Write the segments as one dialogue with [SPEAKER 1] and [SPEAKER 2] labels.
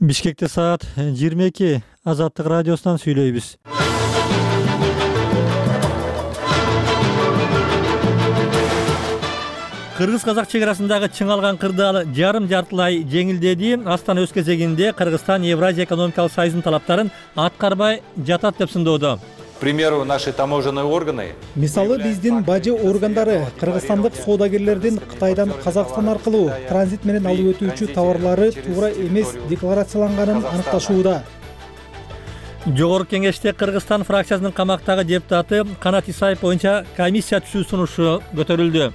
[SPEAKER 1] Бишкекте саат 22. Азаттык радиосунан сүйлөйбүз. Кыргыз-казак чек арасындагы чыңалган кырдаал жарым-жартылай жеңилдеди. Астана өз кезегинде Кыргызстан Евразия экономикалык союзунун талаптарын аткарбай жатат деп сындоодо.
[SPEAKER 2] К примеру, наши таможенные органы.
[SPEAKER 3] Мисалы биздин бажы органдары кыргызстандык соодагерлердин Кытайдан Казакстан аркылуу транзит менен алып өтүүчү товарлары туура эмес декларацияланганын аныкташууда.
[SPEAKER 1] Жогорку кеңеште Кыргызстан фракциясынын камактагы депутаты Канат Исаев боюнча комиссия түзүү сунушу көтөрүлдү.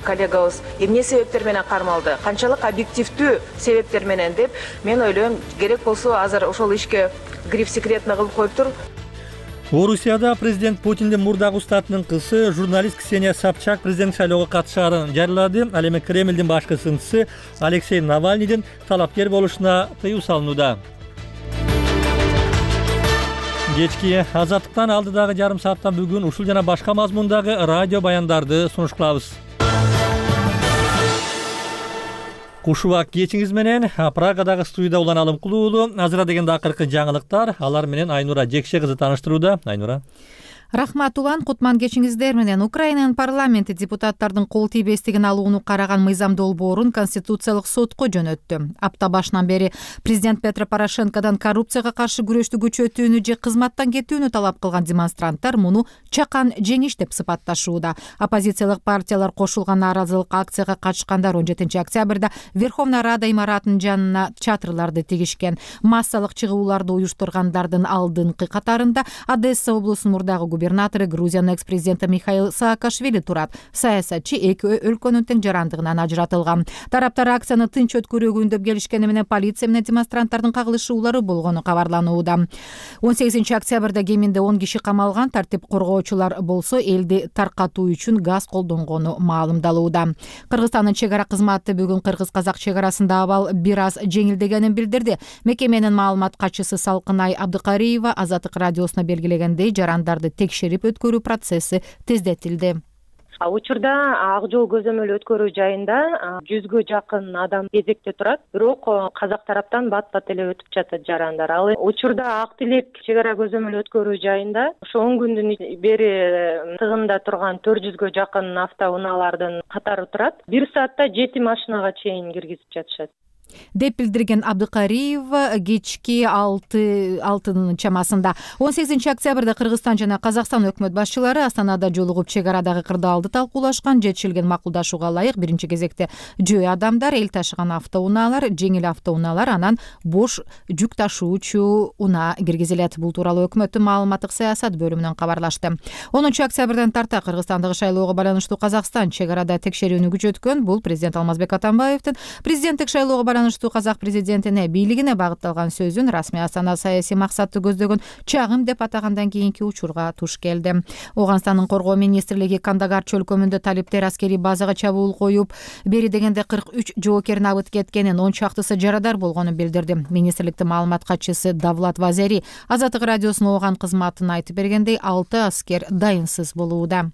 [SPEAKER 4] Коллегабыз эмне себептер менен кармалды, канчалык объективдүү себептер менен деп мен ойлойм, керек болсо азыр ошол ишке гриф секретно кылып коюптур.
[SPEAKER 1] Орусияда президент Путиндин мурдагы устатынын кызы журналист Ксения Собчак президент шайлоого катышаарын жарыялады. Ал эми Кремлдин башкы сынчысы Алексей Навальныйдын талапкер болушуна тыюу салынууда. Кечки азаттыктан алдыдагы жарым сааттан бүгүн ушул жана башка мазмундагы радио баяндарды сунуш кылабыз. Кушубак кечиңиз менен Прагадагы студияда Улан Алымкулуу уулу. Азыра дегенде акыркы жаңылыктар, алар менен Айнура Жекше кызы тааныштырууда. Айнура.
[SPEAKER 5] Рахмат Улан, кутман кечиңиздер менен. Украинанын парламенти депутаттардын кол тийбестигин алууну караган мыйзам долбоорун Конституциялык сотко жөнөттү. Апта башынан бери президент Петро Порошенкодон коррупцияга каршы күрөштү күчөтүүнү же кызматтан кетүүнү талап кылган демонстранттар муну чакан жеңиш деп сыпатташууда. Оппозициялык партиялар кошулган нааразылык акцияга катышкандар 17-октябрда Верховная Рада имаратынын жанына чатырларды тигишкен. Массалык чыгууларды уюштургандардын алдыңкы катарында Одесса облусунун мурдагы губернатору Грузиянын экс-президенти Михаил Саакашвили турат. Саясатчы эки өлкөнүн тең жарандыгынан ажыратылган. Тараптар акцияны тынч өткөрүүгө үндөп келишкени менен полиция менен демонстранттардын кагылышуулары болгону кабарланууда. 18-октябрда кеминде 10 киши камалган. Тартип коргоочулар болсо элди таркатуу үчүн газ колдонгону маалымдалууда. Кыргызстандын чек ара кызматы бүгүн кыргыз-казак чек арасында абал бир аз жеңилдегенин билдирди. Мекеменин маалымат катчысы Салкынай Абдыкариева Азаттык радиосуна белгилегендей, жарандарды текшерип өткөрүү процесси тездетилди.
[SPEAKER 6] Учурда ак жол көзөмөл өткөрүү жайында 100гө жакын адам кезекте турат, бирок казак тараптан бат-бат эле өтүп жатат жарандар. Ал учурда ак тилек чек ара көзөмөл өткөрүү жайында ошо 10 күндүн бери тыгында турган 400гө жакын автоунаалардын катары турат. 1 саатта 7 машинага чейин киргизип жатышат
[SPEAKER 5] деп билдирген Абдыкариева кечки 6 чамасында. 18-октябрда Кыргызстан жана Казакстан өкмөт башчылары Астанада жолугуп чек арадагы кырдаалды талкуулашкан. Жетишилген макулдашууга ылайык биринчи кезекте жөө адамдар, эл ташыган автоунаалар, жеңил автоунаалар, анан бош жүк ташуучу унаа киргизилет. Бул тууралуу өкмөттүн маалыматтык саясат бөлүмүнөн кабарлашты. 10-октябрдан тарта Кыргызстандагы шайлоого байланыштуу Казакстан чек арада текшерүүнү күчөткөн. Бул президент Алмазбек Атамбаевдин президенттик шайлоого байланыштуу казак президентине бийлигине багытталган сөзүн расмий Астана саясий максатты көздөгөн чагым деп атагандан кийинки учурга туш келди. Ооганстандын коргоо министрлиги Кандагар чөлкөмүндө талиптер аскерий базага чабуул коюп, бери дегенде 43 жоокерин абыт кеткенин, 10 чактысы жарадар болгонун билдирди. Министрликтин маалымат катчысы Давлат Вазери Азаттык радиосуна ооган кызматын айтып бергендей, 6 аскер дайынсыз болууда.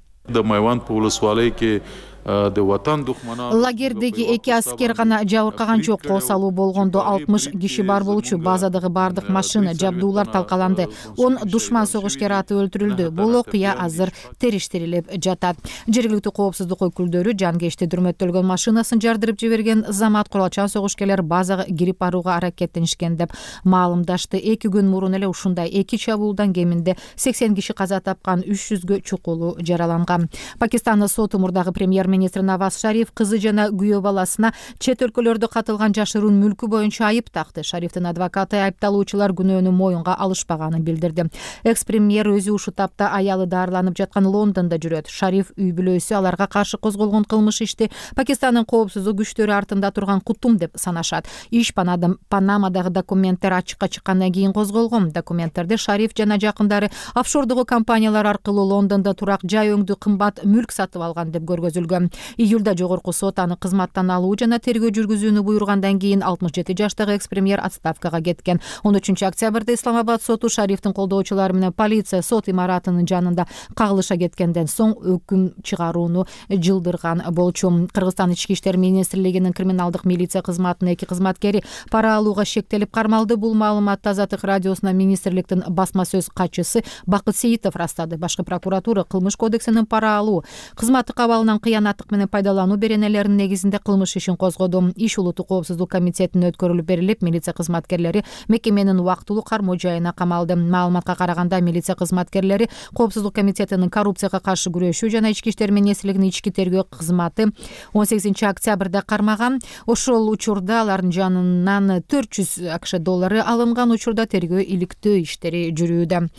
[SPEAKER 5] Лагердеги 2 аскер гана жабыркаган жок. Косалуу болгондо 60 киши бар болчу. Базадагы бардык машина, жабдуулар талкаланды. 10 душман согушкер аты өлтүрүлдү. Бул окуя азыр териштирилип жатат. Жергиликтүү коопсуздук өкүлдөрү жангечти дүрмөттөлгөн машинасын жардырып жиберген замат куралчан согушкерлер базага кирип барууга аракеттенишкен деп маалымдашты. 2 күн мурун эле ушундай 2 чабуулдан кеминде 80 киши каза тапкан, 300гө чукулу жараланган. Пакистандын соту мурдагы премьер-министр Наваз Шариф кызы жана күйөө баласына чет өлкөлөрдө катылган жашыруун мүлкү боюнча айып такты. Шарифтин адвокаты айыпталуучулар күнөөнү моюнга алышпаганын билдирди. Экс-премьер өзү ушул тапта аялы дарыланып жаткан Лондондо жүрөт. Шариф үй бүлөсү аларга каршы козголгон кылмыш ишти Пакистандын коопсуздук күчтөрү артында турган кутум деп санашат. Иш Панамадагы документтер ачыкка чыккандан кийин козголгон. Документтерде Шариф жана жакындары офшордогу компаниялар аркылуу Лондондо турак жай өңдүү кымбат мүлк сатып алган деп көргөзүлгөн. Июлда жогорку сот аны кызматтан алуу жана тергөө жүргүзүүнү буйругандан кийин 67 жаштагы экс-премьер отставкага кеткен. 13 октябрда Исламабад соту Шарифтин колдоочулары менен полиция сот имаратынын жанында кагылыша кеткенден соң өкүм чыгарууну жылдырган болчу. Кыргызстан ички иштер министрлигинин криминалдык милиция кызматынын 2 кызматкери пара алууга шектелип кармалды. Бул маалыматты Азаттык радиосуна министрликтин басма сөз катчысы Бакыт Сейитов растады. Башкы прокуратура кылмыш кодексинин пара алуу, кызматтык абалынан кыянаттык менен пайдалануу беренелеринин негизинде кылмыш ишин козгоду. Иш улуттук коопсуздук комитетине өткөрүлүп берилип, милиция кызматкерлери мекеменин убактылуу кармоо жайына камалды. Маалыматка караганда, милиция кызматкерлери коопсуздук комитетинин коррупцияга каршы күрөшүү жана ички иштер министрлигинин ички тергөө кызматы 18 октябрда кармаган. Ошол учурда алардын жанынан 400 акш доллары алынган. Учурда тергөө иликтөө иштери жүрүүдө.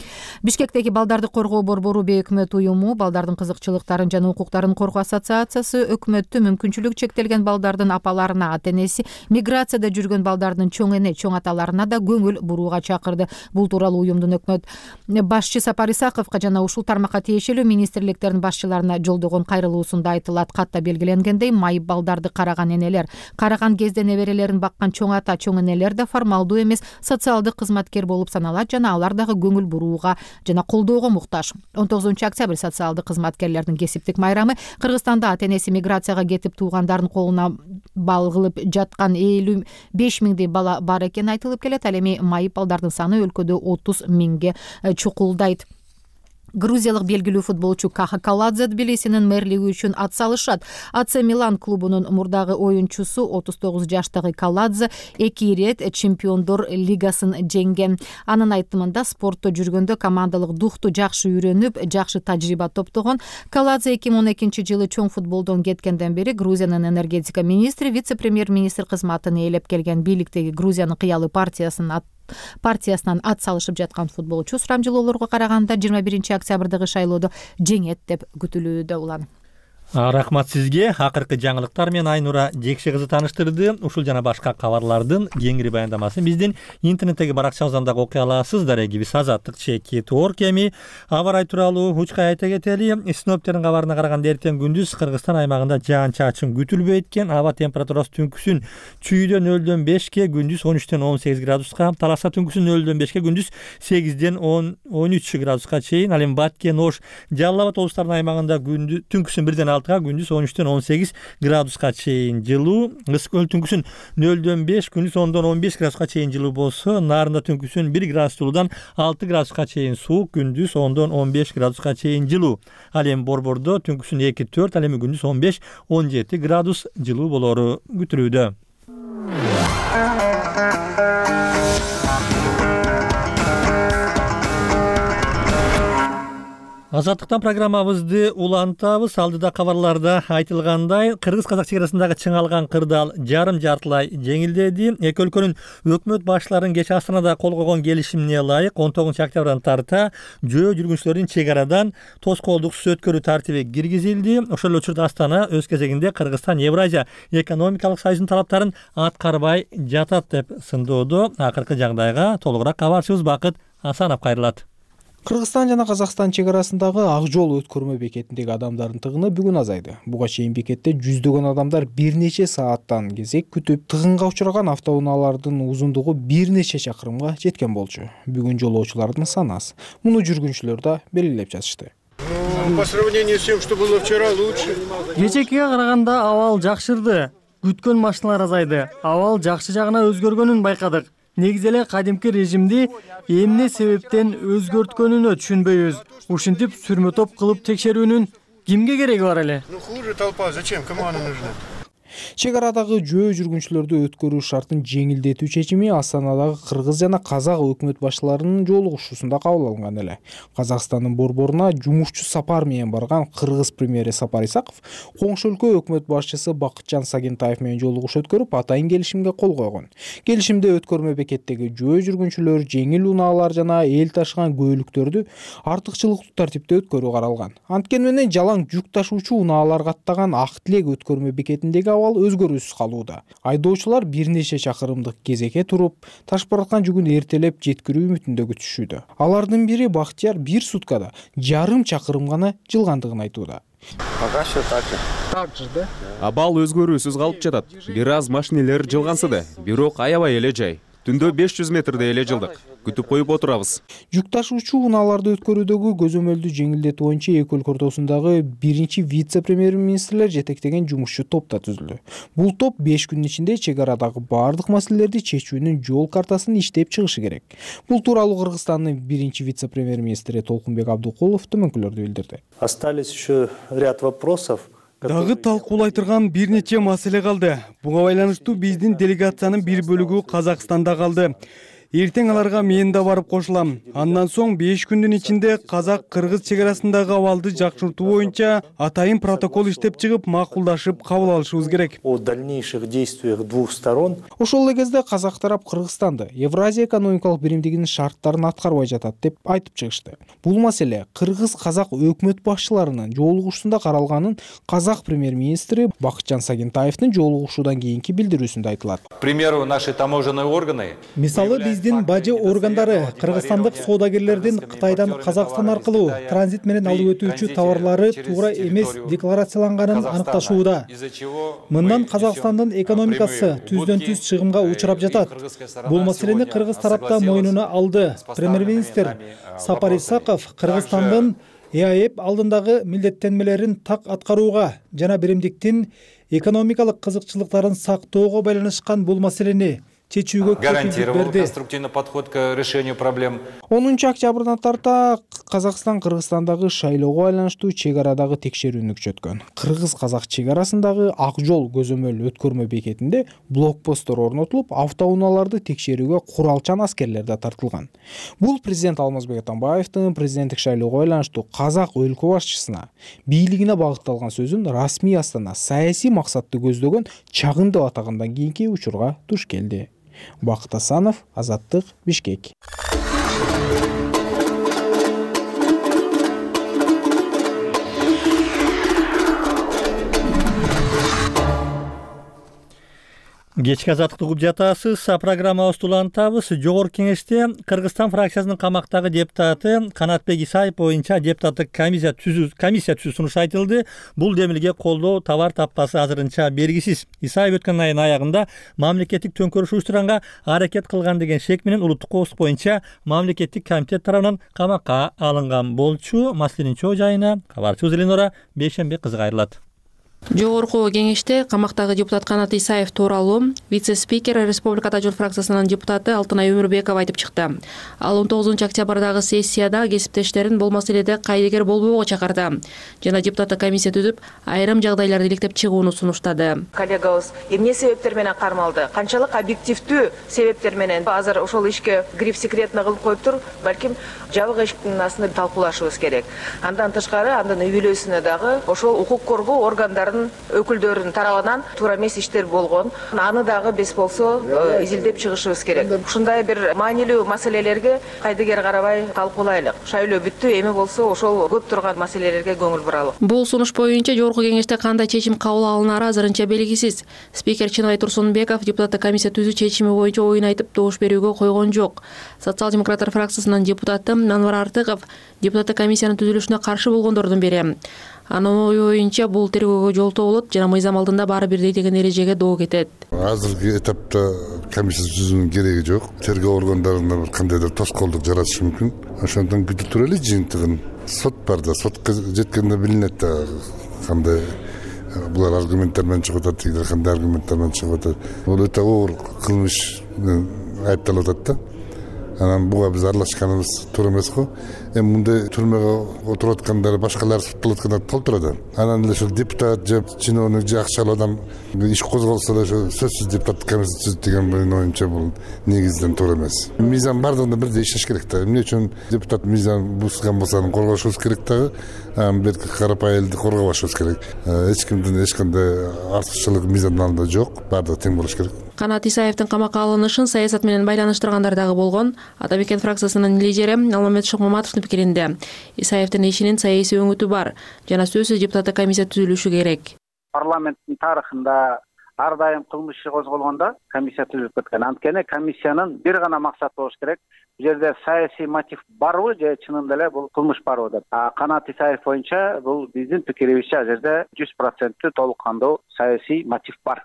[SPEAKER 5] Бишкектеги балдарды коргоо борбору бейөкмөт уюму, балдардын кызыкчылыктарын жана укуктарын коргоо ассоциациясы өкмөттү мүмкүнчүлүгү чектелген балдардын апаларына, ата-энеси, миграцияда жүргөн балдардын чоң эне, чоң аталарына да көңүл бурууга чакырды. Бул тууралуу уюмдун өкмөт башчы Сапар Исаковго жана ушул тармакка тиешелүү министрликтердин башчыларына жолдогон кайрылуусунда айтылат. Катта белгиленгендей, майып балдарды караган энелер, караган кезде неберелерин баккан чоң ата, чоң энелер да формалдуу эмес социалдык кызматкер болуп саналат жана алар дагы көңүл бурууга жана колдоого муктаж. 19 октябрь социалдык кызматкерлердин кесиптик майрамы. Кыргызстанда ата-энеси миграцияга кетип туугандардын колуна бал кылып жаткан 55 миңдей бала бар экени айтылып келет. Ал эми майып балдардын саны өлкөдө 30 миңге чукулдайт. Грузиялык белгилүү футболчу Каха Каладзе Тбилисинин мэрлиги үчүн ат салышат. АЦ Милан клубунун мурдагы оюнчусу 39 жаштагы Каладзе 2 ирет чемпиондор лигасын жеңген. Анын айтымында, спортто жүргөндө командалык духту жакшы үйрөнүп, жакшы тажрыйба топтогон. Каладзе 2012 жылы чоң футболдон кеткенден бери Грузиянын энергетика министри, вице-премьер-министр кызматын ээлеп келген. Бийликтеги Грузиянын кыялы партиясынан ат салышып жаткан футболчу сурамжылоолорго караганда 21 октябрдагы шайлоодо жеңет деп күтүлүүдө. Улан.
[SPEAKER 1] Рахмат сизге. Акыркы жаңылыктар менен Айнура Жекше кызы тааныштырды. Ушул жана башка кабарлардын кеңири баяндамасын биздин интернеттеги баракчабыздан дагы окуй аласыз. Дарегибиз azatlyk.org. Эми аба ырайы тууралуу учкай айта кетели. Синоптиктердин кабарына караганда эртең күндүз Кыргызстан аймагында жаан-чачын күтүлбөйт экен. Аба температурасы түнкүсүн чүйдөн 0-5ке, күндүз 13-18 градуска, таласа түнкүсүн 0-5ке, күндүз 8-13 градуска чейин. Ал эми Баткен, Ош, Жалал Абад облустарынын аймагында түнкүсүн 1-6, күндүз 13-18 градуска чейин жылуу. Ысык көл түнкүсүн 0-5, күндүз 10-15 градуска чейин жылуу болсо, Нарында түнкүсүн 1 градус жылуудан 6 градуска чейин суук, күндүз 10-15 градуска чейин жылуу. Ал эми Борбордо түнкүсүн 2-4, ал эми күндүз 15-17 градус жылуу болору күтүлүүдө. Азаттыктан программабызды улантабыз. Алдыда кабарларда айтылгандай, кыргыз-казак чегарасындагы чыңалган кырдаал жарым-жартылай жеңилдеди. Эки өлкөнүн өкмөт башчыларынын кечээ Астанада кол койгон келишимине ылайык 19 октябрдан тарта жөө жүргүнчүлөрдүн чегарадан тоскоолдуксуз өткөрүү тартиби киргизилди. Ошол эле учурда Астана өз кезегинде Кыргызстан Евразия экономикалык союзунун талаптарын аткарбай жатат деп сындоодо. Акыркы жагдайга толугураак кабарчыбыз Бакыт Асанов кайрылат.
[SPEAKER 3] Кыргызстан жана Казакстан чегарасындагы Ак жол өткөрмө бекетиндеги адамдардын тыгыны бүгүн азайды. Буга чейин бекетте жүздөгөн адамдар бир нече сааттан кезек күтүп, тыгынга учураган автоунаалардын узундугу бир нече чакырымга жеткен болчу. Бүгүн жолоочулардын саны аз. Муну жүргүнчүлөр да белгилеп жатышты.
[SPEAKER 7] По сравнению с тем, что было вчера, лучше.
[SPEAKER 8] Кечээкиге караганда абал жакшырды. Күткөн машиналар азайды. Абал жакшы жагына өзгөргөнүн байкадык. Негизи эле кадимки режимди эмне себептен өзгөрткөнүнө түшүнбөйбүз. Ушинтип сүрмө топ кылып текшерүүнүн кимге кереги бар эле?
[SPEAKER 7] Ну хуже толпа, зачем? Кому она нужна?
[SPEAKER 3] Чегарадагы жөө жүргүнчүлөрдү өткөрүү шартын жеңилдетүү чечими Астанадагы кыргыз жана казак өкмөт башчыларынын жолугушуусунда кабыл алынган эле. Казакстандын борборуна жумушчу сапар менен барган кыргыз премьери Сапар Исаков коңшу өлкө өкмөт башчысы Бакытжан Сагентаев менен жолугуш өткөрүп, атайын келишимге кол койгон. Келишимде өткөрмө бекеттеги жөө жүргүнчүлөр жеңил унаалар жана эл ташыган көөлүктөрдү артыкчылыктуу тартипте өткөрүү каралган. Анткени менен жалаң жүк ташуучу унаалар каттаган Ак Тилек өткөрмө бекетиндеги өзгөрүүсүз калууда. Айдоочулар бир нече чакырымдык кезекке туруп, ташып бараткан жүгүн эртелеп жеткирүү үмүтүндө күтүшүүдө. Алардын бири Бактияр 1 суткада жарым чакырым гана жылгандыгын айтууда.
[SPEAKER 9] Пока что так же, да?
[SPEAKER 10] Абал өзгөрүүсүз калып жатат. Бир аз машинелер жылгансыды, бирок аябай эле жай. Түндө 500 метрде эле жылдык. Күтүп коюп отурабыз.
[SPEAKER 3] Жүк ташуучу унааларды өткөрүүдөгү көзөмөлдү жеңилдетүү боюнча эки өлкө ортосундагы биринчи вице-премьер-министрлер жетектеген жумушчу топ да түзүлдү. Бул топ 5 күндүн ичинде чек арадагы бардык маселелерди чечүүнүн жол картасын иштеп чыгышы керек. Бул тууралуу Кыргызстандын биринчи вице-премьер-министри Толкунбек Абдукулов төмөнкүлөрдү билдирди.
[SPEAKER 9] Остались еще ряд вопросов.
[SPEAKER 11] Дагы талкуулай турган бир нече маселе калды. Буга байланыштуу биздин делегациянын бир бөлүгү Казакстанда калды. Эртең аларга мен да барып кошулам. Андан соң 5 күндүн ичинде казак-кыргыз чек арасындагы абалды жакшыртуу боюнча атайын протокол иштеп чыгып, макулдашып кабыл алышыбыз керек.
[SPEAKER 9] О дальнейших действиях двух сторон.
[SPEAKER 3] Ошол эле кезде казак тарап Кыргызстанды Евразия экономикалык биримдигинин шарттарын аткарбай жатат деп айтып чыгышты. Бул маселе кыргыз-казак өкмөт башчыларынын жолугушуусунда каралганын казак премьер-министри Бакытжан Сагентаевдин жолугушуудан кийинки билдирүүсүндө айтылат.
[SPEAKER 2] К примеру, наши таможенные органы.
[SPEAKER 12] Мисалы биздин бажы органдары кыргызстандык соодагерлердин Кытайдан Казакстан аркылуу транзит менен алып өтүүчү товарлары туура эмес декларацияланганын аныкташууда. Мындан Казакстандын экономикасы түздөн түз чыгымга учурап жатат. Бул маселени кыргыз тарапта мойнуна алды. Премьер-министр Сапар Исаков Кыргызстандын ЭАЭП алдындагы милдеттенмелерин так аткарууга жана биримдиктин экономикалык кызыкчылыктарын сактоого байланышкан бул маселени чечүүгө
[SPEAKER 2] гарантировал конструктивный подход к решению проблем.
[SPEAKER 3] 10 октябрдан тарта Казакстан Кыргызстандагы шайлоого байланыштуу чек арадагы текшерүүнү күчөткөн. Кыргыз-казак чек арасындагы Ак жол көзөмөл өткөрмө бекетинде блокпосттор орнотулуп, автоунааларды текшерүүгө куралчан аскерлер да тартылган. Бул президент Алмазбек Атамбаевдин президенттик шайлоого байланыштуу казак өлкө башчысына бийлигине багытталган сөзүн расмий Астана саясий максатты көздөгөн чагым деп атагандан кийинки учурга туш келди. Бакыт Асанов, Азаттык, Бишкек.
[SPEAKER 1] Кечки азаттыкты угуп жатасыз. Программабызды улантабыз. Жогорку кеңеште Кыргызстан фракциясынын камактагы депутаты Канатбек Исаев боюнча депутаттык комиссия түзүү сунуш айтылды. Бул демилге колдоо табар таппасы азырынча белгисиз. Исаев өткөн айдын аягында мамлекеттик төңкөрүш уюштуранга аракет кылган деген шек менен улуттук коопсуздук боюнча мамлекеттик комитет тарабынан камакка алынган болчу. Маселенин чоо жайына кабарчыбыз Эленора Бейшенбек кызы кайрылат.
[SPEAKER 13] Жогорку кеңеште камактагы депутат Канат Исаев тууралуу вице-спикер Республика Жол фракциясынын депутаты Алтынай Өмүрбекова айтып чыкты. Ал 19 октябрдагы сессияда кесиптештерин бул маселеде кайдыгер болбоого чакырды жана депутаттык комиссия түзүп, айрым жагдайларды иликтеп чыгууну сунуштады.
[SPEAKER 4] Коллегабыз эмне себептер менен кармалды? Канчалык объективдүү себептер менен азыр ошол ишке гриф секретно кылып коюптур? Балким жабык эшиктин астында талкуулашыбыз керек. Андан тышкары, андан үй бүлөсүнө дагы ошол укук коргоо органдарын өкүлдөрүнүн тарабынан туура эмес иштер болгон. Аны дагы без болсо изилдеп чыгышыбыз керек. Ушундай бир маанилүү маселелерге кайдыгер карабай талкуулайлык. Шайлоо бүттү, эми болсо ошол көп турган маселелерге көңүл буралык.
[SPEAKER 13] Бул сунуш боюнча жогорку кеңеште кандай чечим кабыл алынары азырынча белгисиз. Спикер Чынай Турсунбеков депутаттык комиссия түзүү чечими боюнча оюн айтып, добуш берүүгө койгон жок. Социал-демократтар фракциясынын депутаты Анвар Артыков депутаттык комиссиянын түзүлүшүнө каршы болгондордун бири. Анын оюнча бул тергөөгө жолтоо болот жана мыйзам алдында баары бирдей деген эрежеге доо кетет.
[SPEAKER 14] Азыркы этапта комиссия түзүүнүн кереги жок. Тергөө органдарында бир кандайдыр тоскоолдук жаратышы мүмкүн. Ошондон күтүп турайлы жыйынтыгын. Сот бар да, сотко жеткенде билинет да кандай булар аргументтер менен чыгып атат, тигилер кандай аргументтер менен чыгып атат. Бул өтө оор кылмыш айыпталып атат да. Анан буга биз аралашканыбыз туура эмес го. Эми мындай түрмөгө отуруп аткандар, башкалар соттолуп аткандар толтурат. Анан эле ошол депутат же чиновник же акчалуу адам иш козголсо да ошо сөзсүз депутаттык комиссия түзүт деген менин оюмча бул негизден туура эмес. Мыйзам бардыгында бирдей иштеш керек да. Эмне үчүн депутат мыйзам бузган болсо аны коргошубуз керек дагы. Берки карапай элди коргобашыбыз керек. Эч кимдин эч кандай артыкчылык мыйзамдын алдында жок. Бардыгы тең болуш керек.
[SPEAKER 13] Канат Исаевдин камакка алынышын саясат менен байланыштыргандар дагы болгон. Атабекен фракциясынын лидери Алмамет Шокмаматовдун пикиринде Исаевдин ишинин саясий өңүтү бар жана сөзсүз депутаттык комиссия түзүлүшү керек.
[SPEAKER 15] Парламенттин тарыхында ар дайым кылмыш иши козголгондо комиссия түзүлүп кеткен. Анткени комиссиянын бир гана максаты болуш керек. Бул жерде саясий мотив барбы же чынында эле бул кылмыш барбы деп. Канат Исаев боюнча бул биздин пикирибизче ал жерде 100% толук кандуу саясий мотив бар.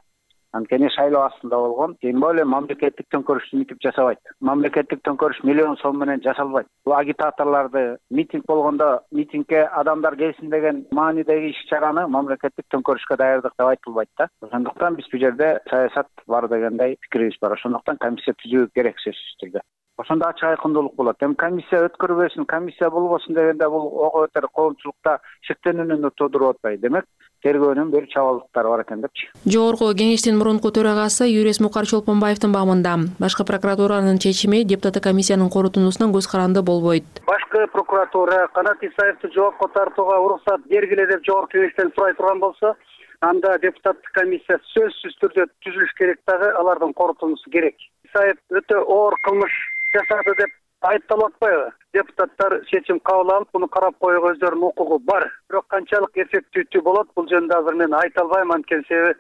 [SPEAKER 15] Анткени шайлоо астында болгон, тем более мамлекеттик төңкөрүштү митип жасабайт. Мамлекеттик төңкөрүш миллион сом менен жасалбайт. Бул агитаторлорду митинг болгондо митингге адамдар келсин деген маанидеги иш-чараны мамлекеттик төңкөрүшкө даярдык деп айтылбайт да. Ошондуктан биз бул жерде саясат бар дегендей пикирибиз бар. Ошондуктан комиссия түзүү керек сөзсүз түрдө. Ошондо ачык айкындуулук болот. Эми комиссия өткөрбөсүн, комиссия болбосун дегенде бул ого бетер коомчулукта шектенүүнү туудуруп атпайбы. Демек, тергөөнүн бир чабалдыктары бар экен депчи.
[SPEAKER 13] Жогорку кеңештин мурунку төрагасы Юрис Мукар Чолпонбаевдин баамында башкы прокуратуранын чечими депутаттык комиссиянын корутундусунан көз каранды болбойт.
[SPEAKER 16] Башкы прокуратура Канат Исаевди жоопко тартууга уруксат бергиле деп жогорку кеңештен сурай турган болсо, анда депутаттык комиссия сөзсүз түрдө түзүлүш керек, дагы алардын корутундусу керек. Исаев өтө оор кылмыш жасады деп айыпталып атпайбы? Депутаттар чечим кабыл алып, буну карап коюуга өздөрүнүн укугу бар. Бирок канчалык эффективдүү болот, бул жөнүндө азыр мен айта албайм, анткени себеби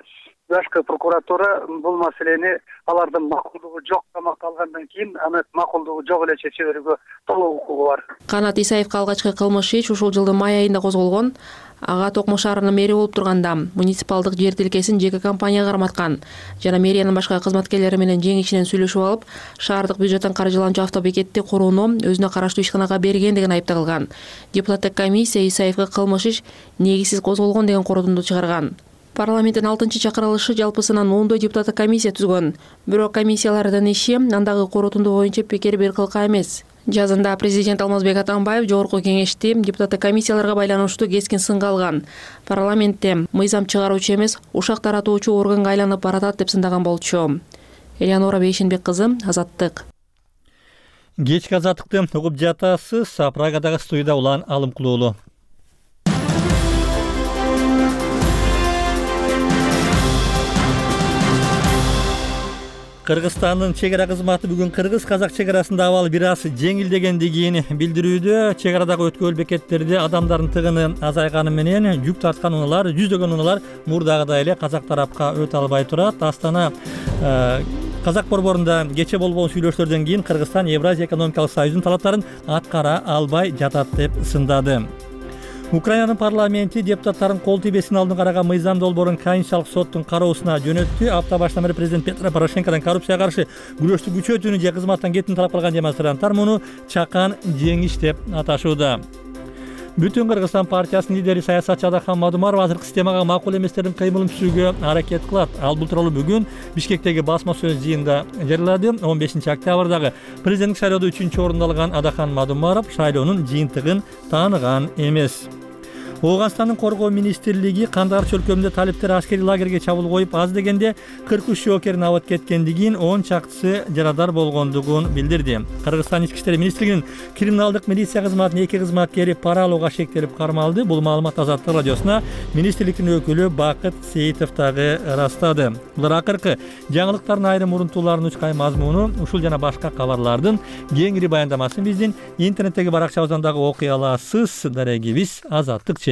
[SPEAKER 16] башкы прокуратура бул маселени алардын макулдугу жок камакка алгандан кийин аны макулдугу жок эле чече берүүгө толук укугу бар.
[SPEAKER 13] Канат Исаевге алгачкы кылмыш иш ушул жылдын май айында козголгон. Ага Токмо шаарынын мэри болуп турганда муниципалдык жер тилкесин жеке компанияга карматкан жана мэриянын башка кызматкерлери менен жең ичинен сүйлөшүп алып, шаардык бюджеттен каржыланчу автобекетти курууну өзүнө караштуу ишканага берген деген айып тагылган. Депутаттык комиссия Исаевге кылмыш иш негизсиз козголгон деген корутунду чыгарган. Парламенттин 6-чакырылышы жалпысынан 10 депутаттык комиссия түзгөн. Бирок комиссиялардын иши андагы корутунду боюнча пикир бир кылка эмес. Жазында президент Алмазбек Атамбаев жогорку кеңешти депутаттык комиссияларга байланыштуу кескин сынга алган. Парламентте мыйзам чыгаруучу эмес, ушак таратуучу органга айланып баратат деп сындаган болчу. Элеонора Бейшенбек кызы, Азаттык.
[SPEAKER 1] Кечки азаттыкты угуп жатасыз. Прагадагы студияда Улан Алымкулуулу. Кыргызстандын чек ара кызматы бүгүн кыргыз-казак чек арасында абал бир аз жеңилдегендигин билдирүүдө. Чек арадагы өткөл бекеттерде адамдардын тыгыны азайганы менен жүк тарткан унаалар, жүздөгөн унаалар мурдагыдай эле казак тарапка өтө албай турат. Астана Казак борборунда кече болгон сүйлөшүүлөрдөн кийин Кыргызстан Евразия экономикалык союзунун талаптарын аткара албай жатат деп сындады. Украинанын парламенти депутаттарын кол тийбесин алдын караган мыйзам долбоорун Конституциялык соттун кароосуна жөнөттү. Апта башынан бери президент Петро Порошенкодон коррупцияга каршы күрөштү күчөтүүнү же кызматтан кетүүнү талап кылган демонстранттар муну чакан жеңиш деп аташууда. Бүтүн Кыргызстан партиясынын лидери саясатчы Адахан Мадумаров азыркы системага макул эместердин кыймылын түзүүгө аракет кылат. Ал бул тууралуу бүгүн Бишкектеги басма сөз жыйынында жарыялады. 15-октябрдагы президенттик шайлоодо 3-орунду алган Адахан Мадумаров шайлоонун жыйынтыгын тааныган эмес. Ооганстандын коргоо министрлиги Кандар чөлкөмүндө талиптер аскерий лагерге чабуул коюп, аз дегенде 43 жоокерин абат кеткендигин, 10 чактысы жарадар болгондугун билдирди. Кыргызстан ички иштер министрлигинин криминалдык милиция кызматынын 2 кызматкери пара алууга шектелип кармалды. Бул маалымат Азаттык радиосуна министрликтин өкүлү Бакыт Сейитов дагы ырастады. Булар акыркы жаңылыктардын айрым урунтууларынын учкай мазмуну, ушул жана башка кабарлардын кеңири баяндамасын биздин интернеттеги баракчабыздан дагы окуй аласыз. Дарегибиз Azattik.org.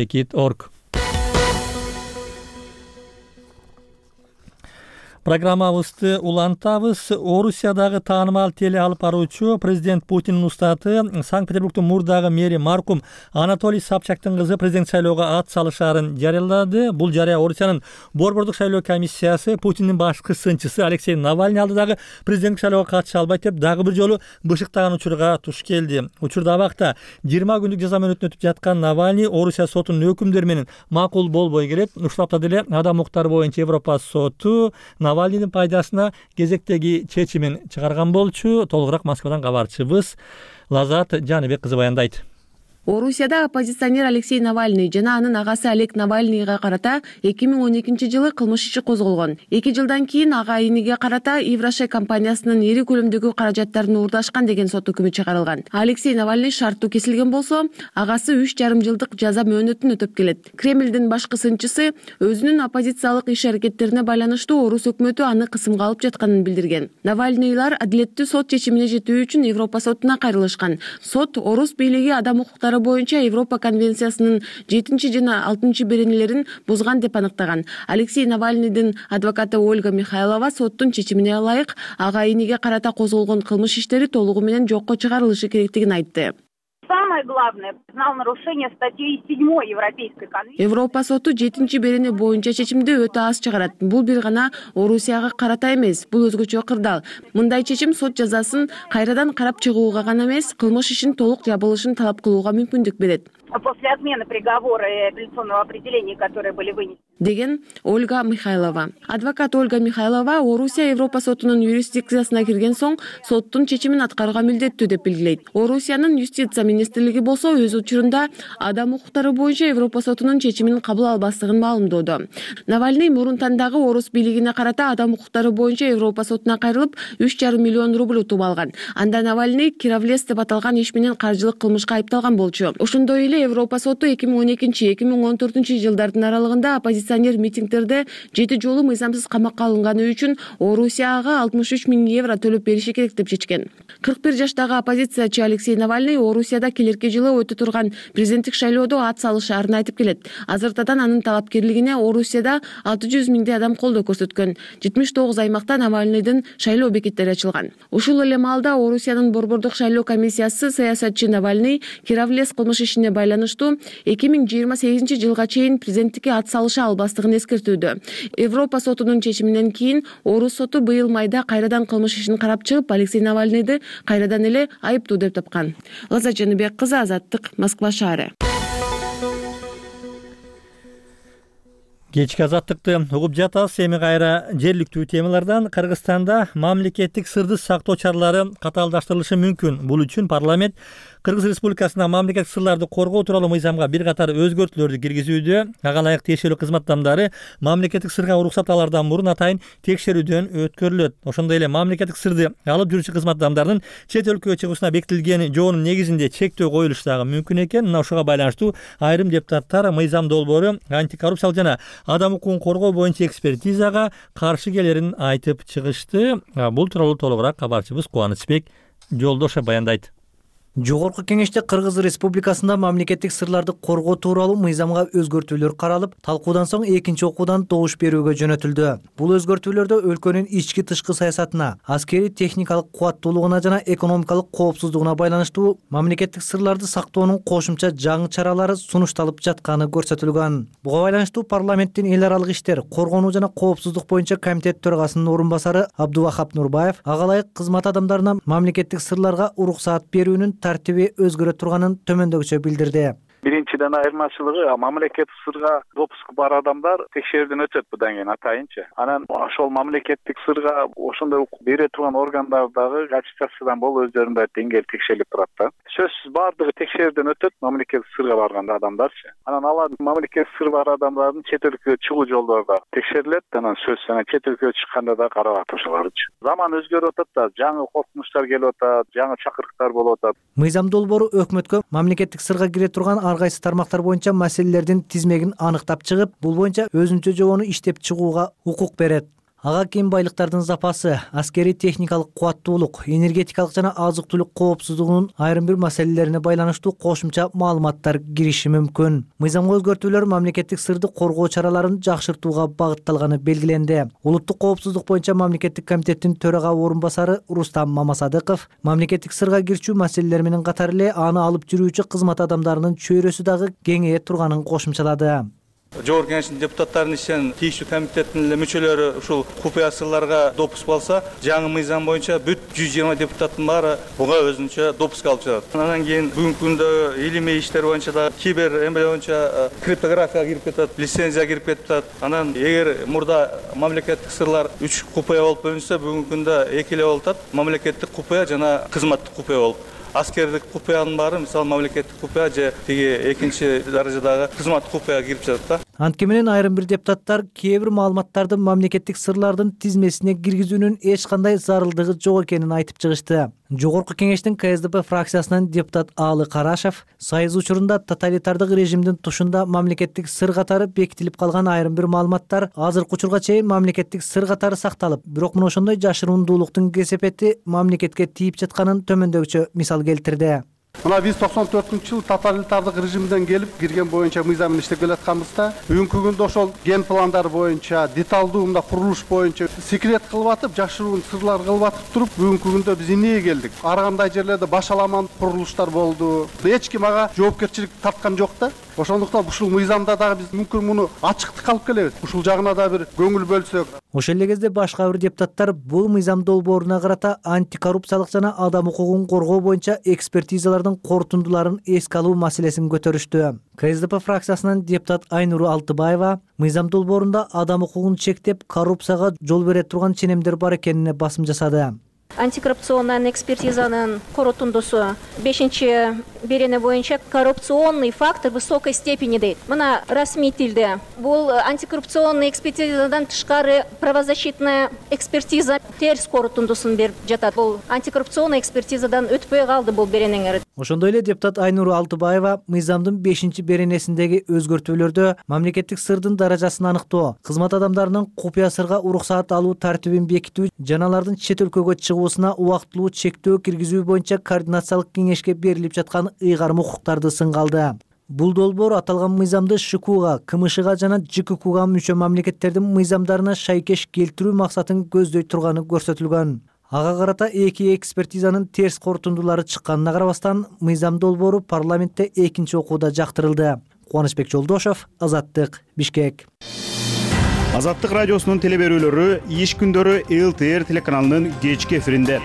[SPEAKER 1] Программабызды улантабыз. Орусиядагы таанымал теле алып баруучу президент Путиндин устаты Санкт-Петербургдун мурдагы мэри маркум Анатолий Собчактын кызы президент шайлоого ат салышаарын жарыялады. Бул жарыя Орусиянын борбордук шайлоо комиссиясы Путиндин башкы сынчысы Алексей Навальный алдыдагы президенттик шайлоого катыша албайт деп дагы бир жолу бышыктаган учурга туш келди. Учурда абакта 20 күндүк жаза мөөнөтүн өтүп жаткан Навальный Орусия сотунун өкүмдөрү менен макул болбой келет. Ушул аптада деле адам укуктары боюнча Европа соту Навальныйдын пайдасына кезектеги чечимин чыгарган болчу. Толугураак Москвадан кабарчыбыз Лазат Жаныбек кызы баяндайт.
[SPEAKER 17] Орусияда оппозиционер Алексей Навальный жана анын агасы Олег Навальныйга карата 2012-жылы кылмыш иши козголгон. 2 жылдан кийин ага иниге карата Еврашей компаниясынын ири көлөмдөгү каражаттарын уурдашкан деген сот өкүмү чыгарылган. Алексей Навальный шарттуу кесилген болсо, агасы 3,5 жылдык жаза мөөнөтүн өтөп келет. Кремлдин башкы сынчысы өзүнүн оппозициялык иш-аракеттерине байланыштуу орус өкмөтү аны кысымга алып жатканын билдирген. Навальныйлар адилеттүү сот чечимине жетүү үчүн Европа сотуна кайрылышкан. Сот орус бийлиги адам укуктары укуктары боюнча Европа конвенциясынын 7 жана 6 беренелерин бузган деп аныктаган. Алексей Навальныйдын адвокаты Ольга Михайлова соттун чечимине ылайык ага иниге карата козголгон кылмыш иштери толугу менен жокко чыгарылышы керектигин айтты.
[SPEAKER 18] Самое главное, признал нарушение статьи 7 Европейской конвенции.
[SPEAKER 17] Европа соту 7 берене боюнча чечимди өтө аз чыгарат. Бул бир гана Орусияга карата эмес, бул өзгөчө кырдаал. Мындай чечим сот жазасын кайрадан карап чыгууга гана эмес, кылмыш ишин толук жабылышын талап кылууга мүмкүндүк берет.
[SPEAKER 18] После отмены приговора и апелляционного определения, которые были вынесены.
[SPEAKER 17] Деген Ольга Михайлова. Адвокат Ольга Михайлова Орусия Европа сотунун юрисдикциясына кирген соң соттун чечимин аткарууга милдеттүү деп белгилейт. Орусиянын юстиция министрлиги болсо өз учурунда адам укуктары боюнча Европа сотунун чечимин кабыл албастыгын маалымдоодо. Навальный мурун тандагы орус бийлигине карата адам укуктары боюнча Европа сотуна кайрылып 3,5 миллион рубль утуп алган. Анда Навальный кировлес деп аталган иш менен каржылык кылмышка айыпталган болчу. Ошондой эле Европа соту 2012-2014 жылдардын аралыгында оппозиционер митингдерде 7 жолу мыйзамсыз камакка алынганы үчүн Орусияга 63 000 евро төлөп бериши керек деп чечкен. 41 жаштагы оппозициячы Алексей Навальный Орусияда келерки жылы өтө турган президенттик шайлоодо ат салышаарын айтып келет. Азыртадан анын талапкерлигине Орусияда 600 000 адам колдоо көрсөткөн. 79 аймакта Навальныйдын шайлоо бекеттери ачылган. Ушул эле маалда Орусиянын борбордук шайлоо комиссиясы саясатчы Навальный кировлес кылмыш ишине байланыштуу 2028 жылга чейин президенттикке ат салыша албастыгын эскертүүдө. Европа сотунун чечиминен кийин Орус соту быйыл майда кайрадан кылмыш ишин карап чыгып, Алексей Навальныйды кайрадан эле айыптуу деп тапкан. Лаза Жаныбек кызы, Азаттык, Москва шаары.
[SPEAKER 1] Кечки азаттыкты угуп жатабыз. Эми кайра жергиликтүү темалардан. Кыргызстанда мамлекеттик сырды сактоо чаралары катаалдаштырылышы мүмкүн. Бул үчүн парламент Кыргыз Республикасында мамлекеттик сырларды коргоо тууралуу мыйзамга бир катар өзгөртүүлөрдү киргизүүдө. Ага ылайык тиешелүү кызмат адамдары мамлекеттик сырга уруксат алаардан мурун атайын текшерүүдөн өткөрүлөт. Ошондой эле мамлекеттик сырды алып жүрүүчү кызмат адамдарынын чет өлкөгө чыгуусуна бекитилген жоонун негизинде чектөө коюлушу дагы мүмкүн экен. Мына ошого байланыштуу айрым депутаттар мыйзам долбоору антикоррупциялык жана адам укугун коргоо боюнча экспертизага каршы келерин айтып чыгышты. Бул тууралуу толугураак кабарчыбыз Кубанычбек Жолдошев баяндайт.
[SPEAKER 19] Жогорку кеңеште Кыргыз Республикасында мамлекеттик сырларды коргоо тууралуу мыйзамга өзгөртүүлөр каралып, талкуудан соң экинчи окуудан добуш берүүгө жөнөтүлдү. Бул өзгөртүүлөрдө өлкөнүн ички тышкы саясатына, аскери техникалык кубаттуулугуна жана экономикалык коопсуздугуна байланыштуу мамлекеттик сырларды сактоонун кошумча жаңы чаралары сунушталып жатканы көрсөтүлгөн. Буга байланыштуу парламенттин эл аралык иштер, коргонуу жана коопсуздук боюнча комитет төрагасынын орун басары Абдувахап Нурбаев ага ылайык кызмат адамдарына мамлекеттик сырларга уруксаат берүүнүн тартиби өзгөрө турганын төмөндөгүчө билдирди.
[SPEAKER 20] Биринчиден айырмачылыгы мамлекеттик сырга допуск бар адамдар текшерүүдөн өтөт будан кийин атайынчы. Анан ошол мамлекеттик сырга ошондой бере турган органдардагы аттестациядан болуп өздөрүнүн деңгээл текшерилип турат да. Сөзсүз бардыгы текшерүүдөн өтөт мамлекеттик сырга барган адамдарчы. Анан алар мамлекеттик сыры бар адамдардын чет өлкөгө чыгуу жолдору да текшерилет. Анан сөзсүз анан чет өлкөгө чыкканда да каралат ошолорчу. Заман өзгөрүп атат да, жаңы коркунучтар келип атат, жаңы чакырыктар болуп атат.
[SPEAKER 19] Мыйзам долбоору өкмөткө мамлекеттик сырга кире турган ар кайсы тармактар боюнча маселелердин тизмегин аныктап чыгып, бул боюнча өзүнчө жобону иштеп чыгууга укук берет. Ага кен байлыктардын запасы, аскери техникалык кубаттуулук, энергетикалык жана азык-түлүк коопсуздугунун айрым бир маселелерине байланыштуу кошумча маалыматтар кириши мүмкүн. Мыйзамга өзгөртүүлөр мамлекеттик сырды коргоо чараларын жакшыртууга багытталганы белгиленди. Улуттук коопсуздук боюнча мамлекеттик комитеттин төрага орун басары Рустам Мамасадыков мамлекеттик сырга кирчүү маселелер менен катар эле аны алып жүрүүчү кызмат адамдарынын чөйрөсү дагы кеңейе турганын кошумчалады.
[SPEAKER 21] Жогорку кеңештин депутаттарынын ишинен тийиштүү комитеттин эле мүчөлөрү ушул купуя сырларга допуск алса, жаңы мыйзам боюнча бүт 120 депутаттын баары буга өзүнчө допуск алып жатат. Андан кийин бүгүнкү күндө илимий иштер боюнча да кибер эме боюнча криптография кирип кетет, лицензия кирип кетет. Анан эгер мурда мамлекеттик сырлар 3 купуя болуп бөлүнсө, бүгүнкү күндө 2 эле болуп атат. Мамлекеттик купуя жана кызматтык купуя болуп. Аскердик купуянын баары мисалы мамлекеттик купуя же тиги экинчи даражадагы кызматтык купуяга кирип жатат да.
[SPEAKER 19] Антке менен айрым бир депутаттар кээ бир маалыматтарды мамлекеттик сырлардын тизмесине киргизүүнүн эч кандай зарылдыгы жок экенин айтып чыгышты. Жогорку кеңештин КСДП фракциясынан депутат Аалы Карашев сайыз учурунда тоталитардык режимдин тушунда мамлекеттик сыр катары бекитилип калган айрым бир маалыматтар азыркы учурга чейин мамлекеттик сыр катары сакталып, бирок мына ошондой жашырундуулуктун кесепети мамлекетке тийип жатканын төмөндөгүчө мисал келтирди.
[SPEAKER 6] Мына биз 94-жылы тоталитардык режимден келип кирген боюнча мыйзам менен иштеп келатканбызда, бүгүнкү күндө ошол ген пландар боюнча, деталдуу мындай курулуш боюнча секрет кылып атып, жашыруун сырлар кылып атып туруп, бүгүнкү күндө биз эмнеге келдик? Ар кандай жерлерде башаламан курулуштар болду. Эч ким ага жоопкерчилик тарткан жок да. Ошондуктан ушул мыйзамда дагы биз мүмкүн муну ачыктык алып келебиз. Ушул жагына да бир көңүл бөлсөк.
[SPEAKER 19] Ошол эле кезде башка бир депутаттар бул мыйзам долбооруна карата антикоррупциялык жана адам укугун коргоо боюнча экспертизалардын корутундуларын эске алуу маселесин көтөрүштү. КСДП фракциясынан депутат Айнуру Алтыбаева мыйзам долбоорунда адам укугун чектеп, коррупцияга жол бере турган ченемдер бар экенине басым жасады.
[SPEAKER 22] Антикоррупционный экспертизанын корутундусу 5-берене боюнча коррупционный фактор высокой степени дейт. Мына расмий тилде бул антикоррупционный экспертизадан тышкары правозащитная экспертиза терс корутундусун берип жатат. Бул антикоррупционный экспертизадан өтпөй калды бул беренеңер.
[SPEAKER 19] Ошондой эле депутат Айнуру Алтыбаева мыйзамдын 5-беренесиндеги өзгөртүүлөрдө мамлекеттик сырдын даражасын аныктоо, кызмат адамдарынын купуя сырга уруксаат алуу тартибин бекитүү жана алардын чет өлкөгө чыгуусуна убактылуу чектөө киргизүү боюнча координациялык кеңешке берилип жаткан ыйгарым укуктарды сынга алды. Бул долбоор аталган мыйзамды ШКУга, КМШга жана ЖККга мүчө мамлекеттердин мыйзамдарына шайкеш келтирүү максатын көздөй турганы көрсөтүлгөн. Ага карата эки экспертизанын терс корутундулары чыкканына карабастан, мыйзам долбоору парламентте экинчи окууда жактырылды. Кубанычбек Жолдошов, Азаттык, Бишкек.
[SPEAKER 23] Азаттык радиосунун телеберүүлөрү иш күндөрү ЛТР телеканалынын кечки эфиринде.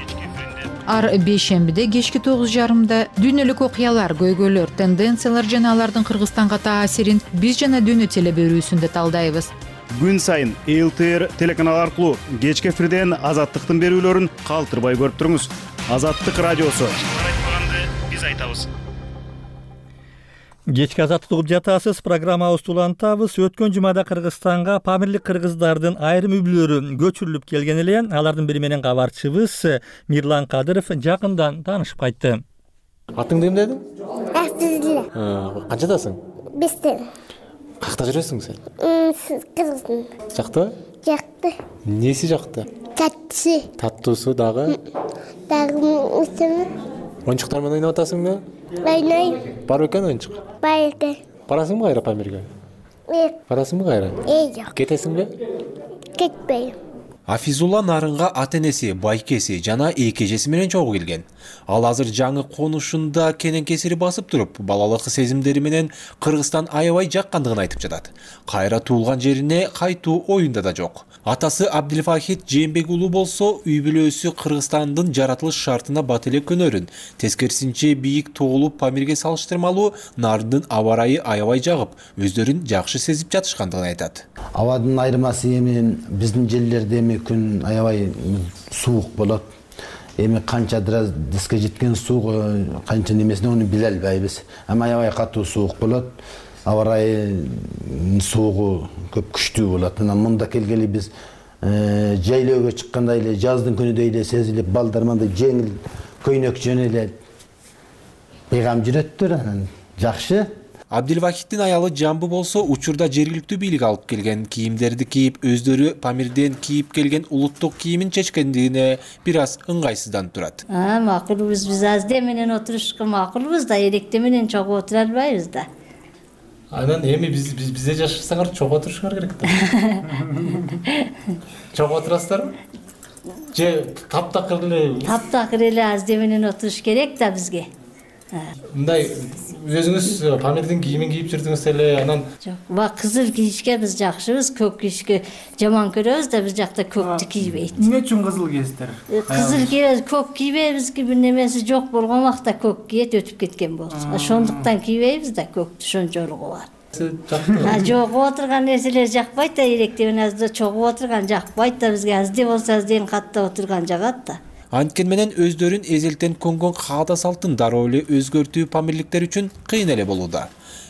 [SPEAKER 5] Ар бейшембиде кечки 9:30 дүйнөлүк окуялар, көйгөйлөр, тенденциялар жана алардын Кыргызстанга таасирин биз жана дүйнө телеберүүсүндө талдайбыз.
[SPEAKER 23] Күн сайын ЛТР телеканалы аркылуу кечки эфирден Азаттыктын берүүлөрүн калтырбай көрүп туруңуз. Азаттык радиосу. Биз айтабыз.
[SPEAKER 1] Кечки Азаттык угуп жатасыз, программабызды улантабыз. Өткөн жумада Кыргызстанга памирлик кыргыздардын айрым үй-бүлөлөрү көчүрүлүп келген эле. Алардын бири менен кабарчыбыз Мирлан Кадыров жакындан таанышып кайтты.
[SPEAKER 24] Атыңды ким дедиң?
[SPEAKER 25] Актылы.
[SPEAKER 24] Канчадасың?
[SPEAKER 25] 5-те.
[SPEAKER 24] Какта жүрөсүң сен?
[SPEAKER 25] Кыргыздын.
[SPEAKER 24] Жакты?
[SPEAKER 25] Жакты.
[SPEAKER 24] Неси жакты?
[SPEAKER 25] Таттысы.
[SPEAKER 24] Таттуусу дагы?
[SPEAKER 25] Дагы үстүнө.
[SPEAKER 24] Оюнчуктар менен ойноп атасыңбы?
[SPEAKER 25] Ойнойм.
[SPEAKER 24] Бар экен оюнчук?
[SPEAKER 25] Бар экен.
[SPEAKER 24] Барасыңбы кайра Памирге? Барасыңбы кайра?
[SPEAKER 25] Жок.
[SPEAKER 24] Кетесиңби?
[SPEAKER 25] Кетпейм.
[SPEAKER 26] Афизулла Нарынга ата-энеси, байкеси жана эки эжеси менен чогуу келген. Ал азыр жаңы конушунда кенен кесири басып туруп, балалык сезимдери менен Кыргызстан аябай жаккандыгын айтып жатат. Кайра туулган жерине кайтуу оюнда да жок. Атасы Абдилфахит Жээнбек уулу болсо, үй-бүлөсү Кыргызстандын жаратылыш шартына бат эле көнөрүн. Тескерисинче бийик тоолуу Памирге салыштырмалуу Нарындын аба ырайы аябай жагып, өздөрүн жакшы сезип жатышкандыгын айтат.
[SPEAKER 27] Абадын айырмасы эми биздин жерлерде күн аябай суук болот. Эми канча градуске жеткен суук, канча немесин ону биле албайбыз. Ама аябай катуу суук болот. Аба ырайы суугу көп күчтүү болот. Мында келгели биз жайлоого чыкканда эле жаздын күнүдөй эле сезилип, балдар мындай жеңил көйнөк жөн эле бейгам жүрөттөр, анан жакшы.
[SPEAKER 26] Абдилвахиттин аялы Жамбы болсо, учурда жергиликтүү бийлик алып келген кийимдерди кийип, өздөрү Памирден кийип келген улуттук кийимин чечкендигине бир аз ыңгайсызданып турат.
[SPEAKER 28] Макулбуз, биз азде менен отурушка макулбуз да, эректе менен чогуу отура албайбыз да.
[SPEAKER 24] Анан эми бизде жашасаңар чогуу отурушуңар керек да. Чогуу отурасыздарбы? Же таптакыр эле? Таптакыр
[SPEAKER 28] эле азде менен отуруш керек да бизге.
[SPEAKER 24] Мындай өзүңүз Памирдин кийимин кийип жүрдүңүз эле, анан
[SPEAKER 28] жок, кызыл кийишке биз жакшыбыз, көк кийишке жаман көрөбүз да, биз жакта көктү кийбейт.
[SPEAKER 3] Эмне үчүн кызыл кийесиздер?
[SPEAKER 28] Кызыл кийбейбиз, көк кийбейбиз, бир немеси жок болгон убакта көк кийет, өтүп кеткен болсо. Ошондуктан кийбейбиз да, көктү ошончолугу бар. Жогуп отурган нерселер жакпайт да, эректе менен азда чогуп отурган жакпайт да, бизге азде болсо азден каттап отурган жагат да.
[SPEAKER 26] Анткени менен өздөрүн эзелтен көнгөн каада салтын дароо эле өзгөртүү памирликтер үчүн кыйын эле болууда.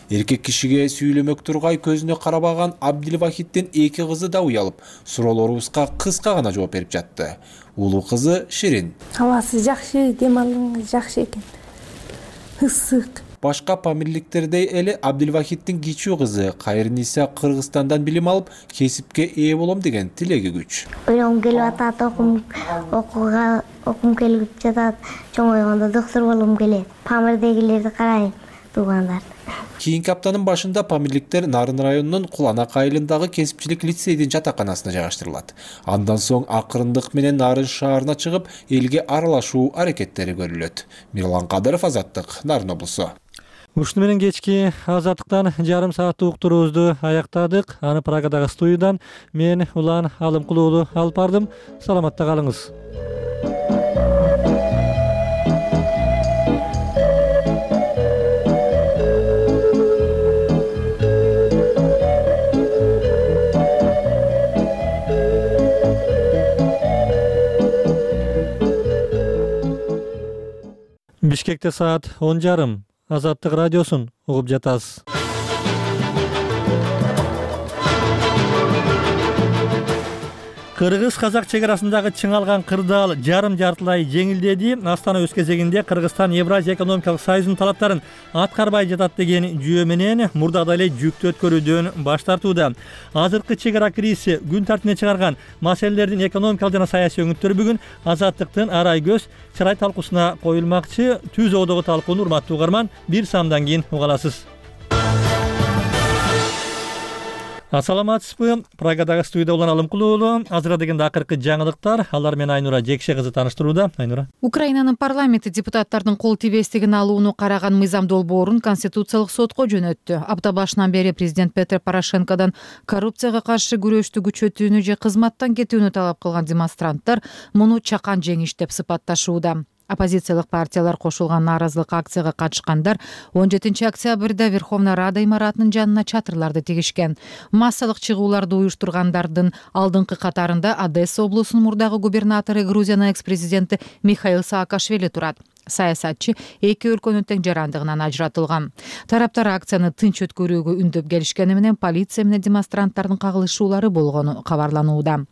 [SPEAKER 26] Эркек кишиге сүйлөмөк тургай көзүнө карабаган Абдилвахиттин эки кызы да уялып, суроолорубузга кыска гана жооп берип жатты. Улуу кызы Ширин.
[SPEAKER 25] Абасы жакшы, дем алган жакшы экен. Ысык.
[SPEAKER 26] башка памирликтердей эле Абдилвахиддин кичүү кызы Кайрниса Кыргызстандан билим алып, кесипке ээ болом деген тилеги күч.
[SPEAKER 25] Ойлогум келип атат, окум келип жатат. Чоңойгондо доктор болгум келет. Памирдегилерди карайм, туугандар.
[SPEAKER 26] Кийинки аптанын башында памирликтер Нарын районунун Куланак айылындагы кесипчилик лицейдин жатаканасына жайгаштырылат. Андан соң акырындык менен Нарын шаарына чыгып, элге аралашуу аракеттери көрүлөт. Мирлан Кадыров, Азаттык, Нарын облусу.
[SPEAKER 1] Ушуну менен кечки Азаттыктан жарым сааттык уктуруубузду аяктадык. Аны Прагадагы студиядан мен Улан Алымкулуу уулу алып бардым. Саламатта калыңыз. Бишкекте саат 10:30. Азаттык радиосун угуп жатасыз. Кыргыз-казак чек арасындагы чыңалган кырдаал жарым-жартылай жеңилдеди. Астана өз кезегинде Кыргызстан Евразия экономикалык союзунун талаптарын аткарбай жатат деген жүйө менен мурдагыдай эле жүктү өткөрүүдөн баш тартууда. Азыркы чек ара кризиси күн тартибине чыгарган маселелердин экономикалык жана саясий өңүттөрү бүгүн Азаттыктын арай көз чырай талкуусуна коюлмакчы. Түз оодогу талкууну урматтуу угарман бир самдан кийин уга аласыз. Ассаламатсызбы? Прагадагы студияда Улан Алымкулуу уулу. Азыр дегенде акыркы жаңылыктар. Алар менен Айнура Жекше кызы тааныштырууда. Айнура.
[SPEAKER 5] Украинанын парламенти депутаттардын кол тийбестигин алууну караган мыйзам долбоорун Конституциялык сотко жөнөттү. Апта башынан бери президент Петр Порошенкодон коррупцияга каршы күрөштү күчөтүүнү же кызматтан кетүүнү талап кылган демонстранттар муну чакан жеңиш деп сыпатташууда. Оппозициялык партиялар кошулган нааразылык акцияга катышкандар 17 октябрда Верховная Рада имаратынын жанына чатырларды тигишкен. Массалык чыгууларды уюштургандардын алдыңкы катарында Одесса облусунун мурдагы губернатору, Грузиянын экс-президенти Михаил Саакашвили турат. Саясатчы эки өлкөнүн тең жарандыгынан ажыратылган. Тараптар акцияны тынч өткөрүүгө үндөп келишкени менен полиция менен демонстранттардын кагылышуулары болгону кабарланууда.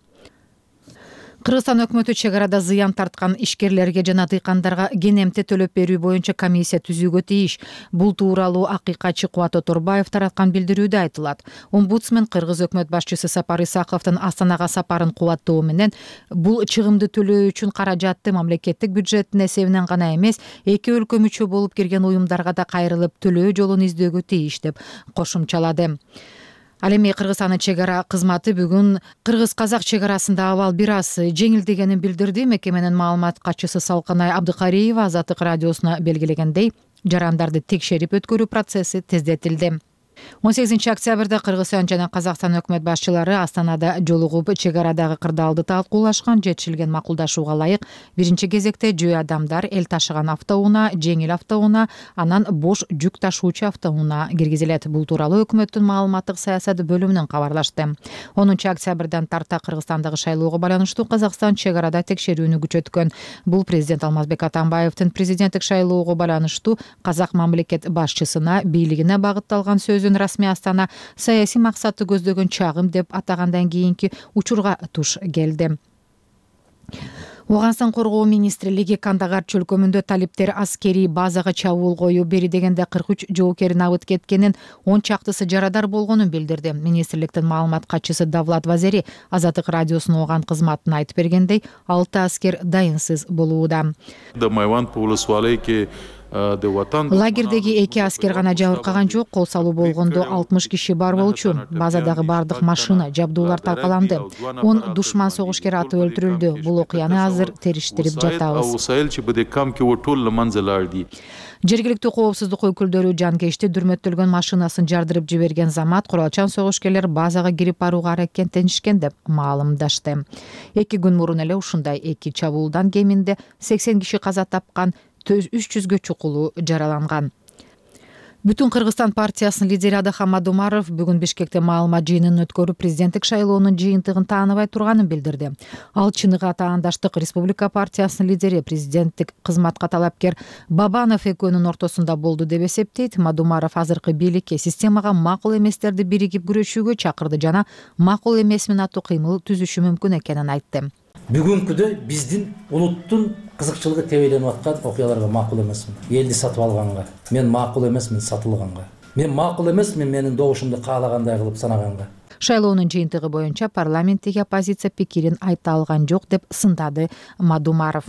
[SPEAKER 5] Кыргызстан өкмөтү чек арада зыян тарткан ишкерлерге жана дыйкандарга кенемте төлөп берүү боюнча комиссия түзүүгө тийиш. Бул тууралуу акыйкатчы Кубат Оторбаев тараткан билдирүүдө айтылат. Омбудсмен Кыргыз өкмөт башчысы Сапар Исаковдун Астанага сапарын кубаттоо менен бул чыгымды төлөө үчүн каражатты мамлекеттик бюджеттин эсебинен гана эмес, эки өлкө мүчө болуп кирген уюмдарга да кайрылып төлөө жолун издөөгө тийиш деп кошумчалады. Ал эми Кыргызстандын чек ара кызматы бүгүн кыргыз-казак чек арасында абал бир аз жеңилдегенин билдирди. Мекеменин маалымат катчысы Салканай Абдыкариева Азаттык радиосуна белгилегендей, жарандарды текшерип өткөрүү процесси тездетилди. 18 октябрда Кыргызстан жана Казакстан өкмөт башчылары Астанада жолугуп чек арадагы кырдаалды талкуулашкан. Жетишилген макулдашууга ылайык биринчи кезекте жөө адамдар эл ташыган автоунаа, жеңил автоунаа, анан бош жүк ташуучу автоунаа киргизилет. Бул тууралуу өкмөттүн маалыматтык саясат бөлүмүнөн кабарлашты. 10 октябрдан тарта Кыргызстандагы шайлоого байланыштуу Казакстан чек арада текшерүүнү күчөткөн. Бул президент Алмазбек Атамбаевдин президенттик шайлоого байланыштуу казак мамлекет башчысына бийлигине багытталган сөзүн расмий Астана саясий максатты көздөгөн чагым деп атагандан кийинки учурга туш келди. Оганстан коргоо министрлиги Кандагар чөлкөмүндө талиптер аскерий базага чабуул коюп бери дегенде 43 жоокерин абыт кеткенин, 10 чактысы жарадар болгонун билдирди. Министрликтин маалымат катчысы Давлат Вазери Азаттык радиосунун ооган кызматына айтып бергендей, 6 аскер дайынсыз болууда. Лагердеги 2 аскер гана жабыркаган жок, кол салуу болгондо 60 киши бар болчу. Базадагы бардык машина, жабдуулар талкаланды. 10 душман согушкер атып өлтүрүлдү. Бул окуяны азыр териштирип жатабыз. Жергиликтүү коопсуздук өкүлдөрү жанкечти дүрмөттөлгөн машинасын жардырып жиберген замат куралчан согушкерлер базага кирип барууга аракеттенишкен деп маалымдашты. 2 күн мурун эле ушундай 2 чабуулдан кеминде 80 киши каза тапкан, 300гө чукулу жараланган. Бүтүн Кыргызстан партиясынын лидери Адахан Мадумаров бүгүн Бишкекте маалымат жыйынын өткөрүп, президенттик шайлоонун жыйынтыгын тааныбай турганын билдирди. Ал чыныгы атаандаштык Республика партиясынын лидери, президенттик кызматка талапкер Бабанов экөөнүн ортосунда болду деп эсептейт. Мадумаров азыркы бийликке системага макул эместерди биригип күрөшүүгө чакырды жана макул эмес менен аттуу кыймыл түзүшү мүмкүн экенин айтты.
[SPEAKER 2] Бүгүнкүдө биздин улуттун кызыкчылыгы тебеленип аткан окуяларга макул эмесмин. Элди сатып алганга, мен макул эмесмин сатылганга. Мен макул эмесмин менин добушумду каалагандай кылып санаганга.
[SPEAKER 5] Шайлоонун жыйынтыгы боюнча парламенттеги оппозиция пикирин айта алган жок деп сындады Мадумаров.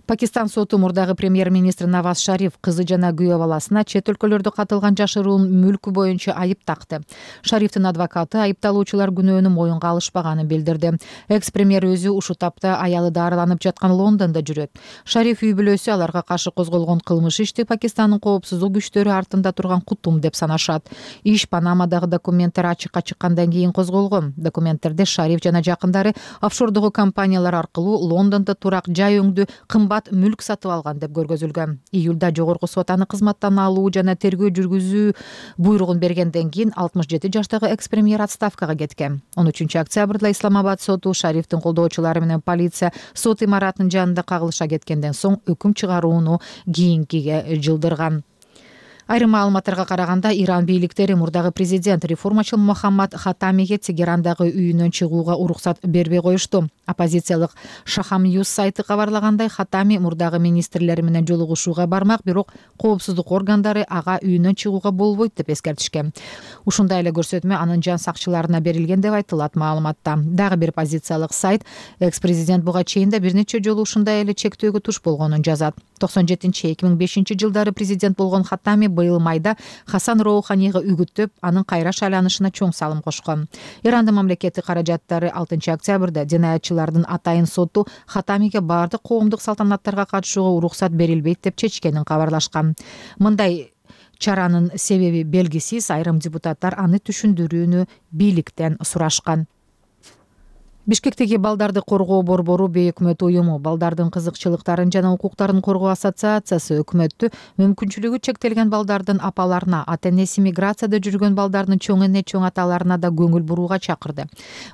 [SPEAKER 5] Пакистан соту мурдагы премьер-министр Наваз Шариф кызы жана күйөө баласына чет өлкөлөрдө катылган жашыруун мүлкү боюнча айып такты. Шарифтин адвокаты айыпталуучулар күнөөнү моюнга алышпаганын билдирди. Экс-премьер өзү ушул тапта аялы дарыланып жаткан Лондондо жүрөт. Шариф үй бүлөсү аларга каршы козголгон кылмыш ишти Пакистандын коопсуздук күчтөрү артында турган кутум деп санашат. Иш Панамадагы документтер ачыкка чыккандан кийин козголгон. Документтерде Шариф жана жакындары офшордогу компаниялар аркылуу Лондондо турак жай өңдүү кымбат мүлк сатып алган деп көргөзүлгөн. Июлда жогорку сот аны кызматтан алуу жана тергөө жүргүзүү буйругун бергенден кийин 67 жаштагы экс-премьер отставкага кеткен. 13 октябрда Исламабад соту Шарифтин колдоочулары менен полиция сот имаратынын жанында кагылыша кеткенден соң өкүм чыгарууну кийинкиге жылдырган. Айрым маалыматтарга караганда, Иран бийликтери мурдагы президент реформачыл Мохаммад Хатамиге Тегерандагы үйүнөн чыгууга уруксат бербей коюшту. Оппозициялык Шахам Ньюс сайты кабарлагандай, Хатами мурдагы министрлери менен жолугушууга бармак, бирок коопсуздук органдары ага үйүнөн чыгууга болбойт деп эскертишкен. Ушундай эле көрсөтмө анын жан сакчыларына берилген деп айтылат маалыматта. Дагы бир оппозициялык сайт экс-президент буга чейин да бир нече жолу ушундай эле чектөөгө туш болгонун жазат. 97-2005 жылдары президент болгон Хатами быйыл майда Хасан Роуханига үгүттөп, анын кайра шайланышына чоң салым кошкон. Ирандын мамлекеттик каражаттары 6 октябрда жинаятчылардын атайын соту Хатамиге баардык коомдук салтанаттарга катышууга уруксат берилбейт деп чечкенин кабарлашкан. Мындай чаранын себеби белгисиз, айрым депутаттар аны түшүндүрүүнү бийликтен сурашкан. Бишкектеги балдарды коргоо борбору бейөкмөт уюму балдардын кызыкчылыктарын жана укуктарын коргоо ассоциациясы өкмөттү мүмкүнчүлүгү чектелген балдардын апаларына, ата-энеси миграцияда жүргөн балдардын чоң эне, чоң аталарына да көңүл бурууга чакырды.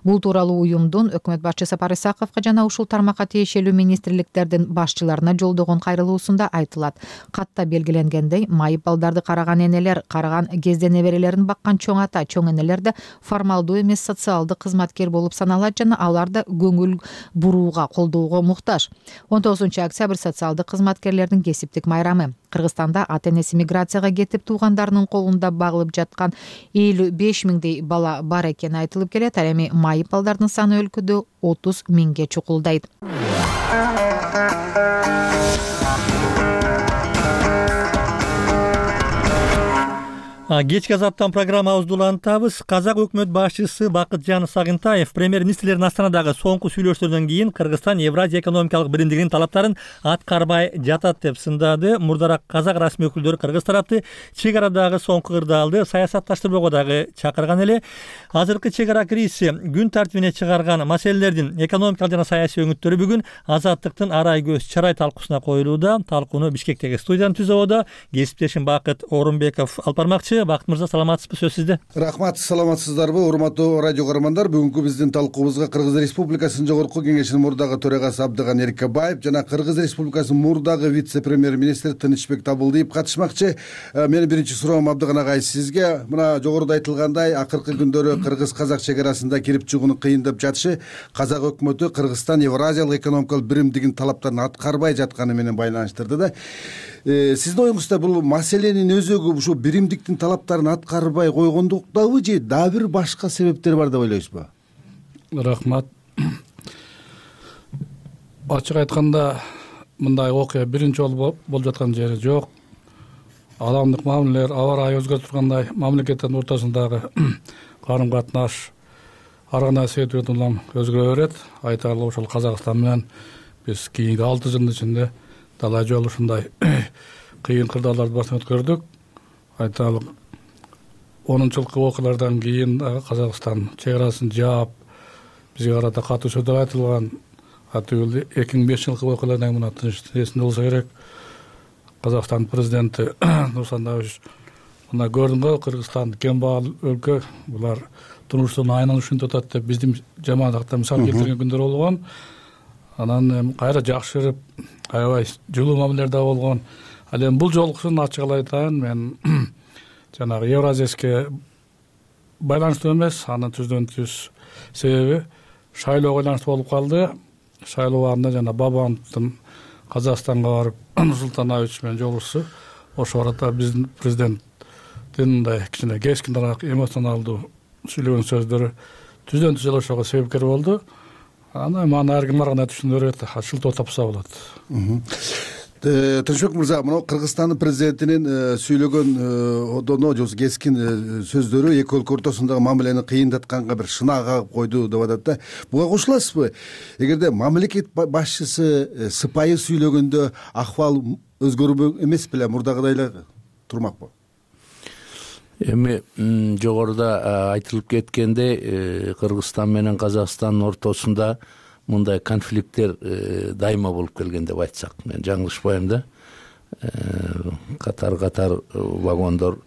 [SPEAKER 5] Бул тууралуу уюмдун өкмөт башчысы Сапар Исаковго жана ушул тармакка тиешелүү министрликтердин башчыларына жолдогон кайрылуусунда айтылат. Катта белгиленгендей, майып балдарды караган энелер, караган кезде неберелерин баккан чоң ата, чоң энелер да формалдуу эмес социалдык кызматкер болуп саналат жана алар да көңүл бурууга, колдоого муктаж. 19 октябрь социалдык кызматкерлердин кесиптик майрамы. Кыргызстанда ата-энеси миграцияга кетип туугандарынын колунда багылып жаткан 55 миңдей бала бар экени айтылып келет. Ал эми майып балдардын саны өлкөдө 30 миңге чукулдайт.
[SPEAKER 1] Кечки азаптан программабызды улантабыз. Казак өкмөт башчысы Бакытжан Сагынтаев премьер-министрлердин Астанадагы соңку сүйлөшүүлөрдөн кийин Кыргызстан Евразия экономикалык биримдигинин талаптарын аткарбай жатат деп сындады. Мурдараак казак расмий өкүлдөрү кыргыз тарапты чек арадагы соңку кырдаалды саясатташтырбоого дагы чакырган эле. Азыркы чек ара кризиси күн тартибине чыгарган маселелердин экономикалык жана саясий өңүттөрү бүгүн Азаттыктын арай көз чарай талкуусуна коюлууда. Талкууну Бишкектеги студиянын түзөбөдө кесиптешим Бакыт Орунбеков алып бармакчы. Бакыт мырза, саламатсызбы? Сөз сизде.
[SPEAKER 4] Рахмат, саламатсыздарбы? Урматтуу радио көрөрмандар, бүгүнкү биздин талкуубузга Кыргыз Республикасынын жогорку кеңешинин мурдагы төрагасы Абдыган Эркебаев жана Кыргыз Республикасынын мурдагы вице-премьер-министри Тынычбек Табылдиев катышмакчы. Менин биринчи суроом Абдыган агай сизге. Мына жогоруда айтылгандай, акыркы күндөрү кыргыз-казак чек арасында кирип чыгууну кыйындап жатышы казак өкмөтү Кыргызстан Евразиялык экономикалык биримдигинин талаптарын аткарбай жатканы менен байланыштырды да. Сиздин оюңузда бул маселенин өзөгү ушул биримдиктин талаптарын аткарбай койгондуктабы же дагы бир башка себептер бар деп ойлойсузбу?
[SPEAKER 7] Рахмат. Ачык айтканда, мындай окуя биринчи жолу болуп жаткан жери жок. Адамдык мамилелер аба ырайы өзгөрүп тургандай, мамлекеттердин ортосундагы карым катнаш ар кандай себептерден улам өзгөрө берет. Айтарлык ошол Казакстан менен биз кийинки 6 жылдын ичинде талай жолу ушундай кыйын кырдаалдарды башынан өткөрдүк. Айтарлык 10-жылкы окуялардан кийин Казакстан чек арасын жаап, бизге карата катуу сөздөр айтылган. Атыгыл 2005 жылкы окуялардан мына тыныч эсинде болсо керек. Казакстан президенти Нурсултан Назарбаев мына көрдүңбү, Кыргызстан кембагал өлкө, булар турмуштун айынан ушинтип атат деп биздин жамаатта мисал келтирген күндөр болгон. Анан кайра жакшырып, аябай жылуу мамилелерде болгон. Ал эми бул жолкусун ачык айтайын, мен жанагы Евразияске байланыштуу эмес, анын түздөн түз себеби шайлоого байланыштуу болуп калды. шайлообарында жана Бабановдун Казакстанга барып Нурсултан Абишевич менен жолугушусу ошол арада биздин президенттин мындай кичине кескинираак эмоционалдуу сүйлөгөн сөздөрү түздөн түз эле ошого себепкер болду. Аны мага ар ким ар кандай түшүнө берет, шылтоо тапса болот.
[SPEAKER 4] Тынчбек мырза, мына Кыргызстандын президентинин сүйлөгөн одоно же кескин сөздөрү эки өлкө ортосундагы мамилени кыйындатканга бир шынаа кагып койду деп атат да. Буга кошуласызбы? Эгерде мамлекет башчысы сыпайы сүйлөгөндө акыбал өзгөрбөк эмес беле, мурдагыдай эле турмакпы?
[SPEAKER 8] Эми жогоруда айтылып кеткендей, Кыргызстан менен Казакстандын ортосунда мындай конфликттер дайыма болуп келген деп айтсак, мен жаңылышпайм да. Катар вагондор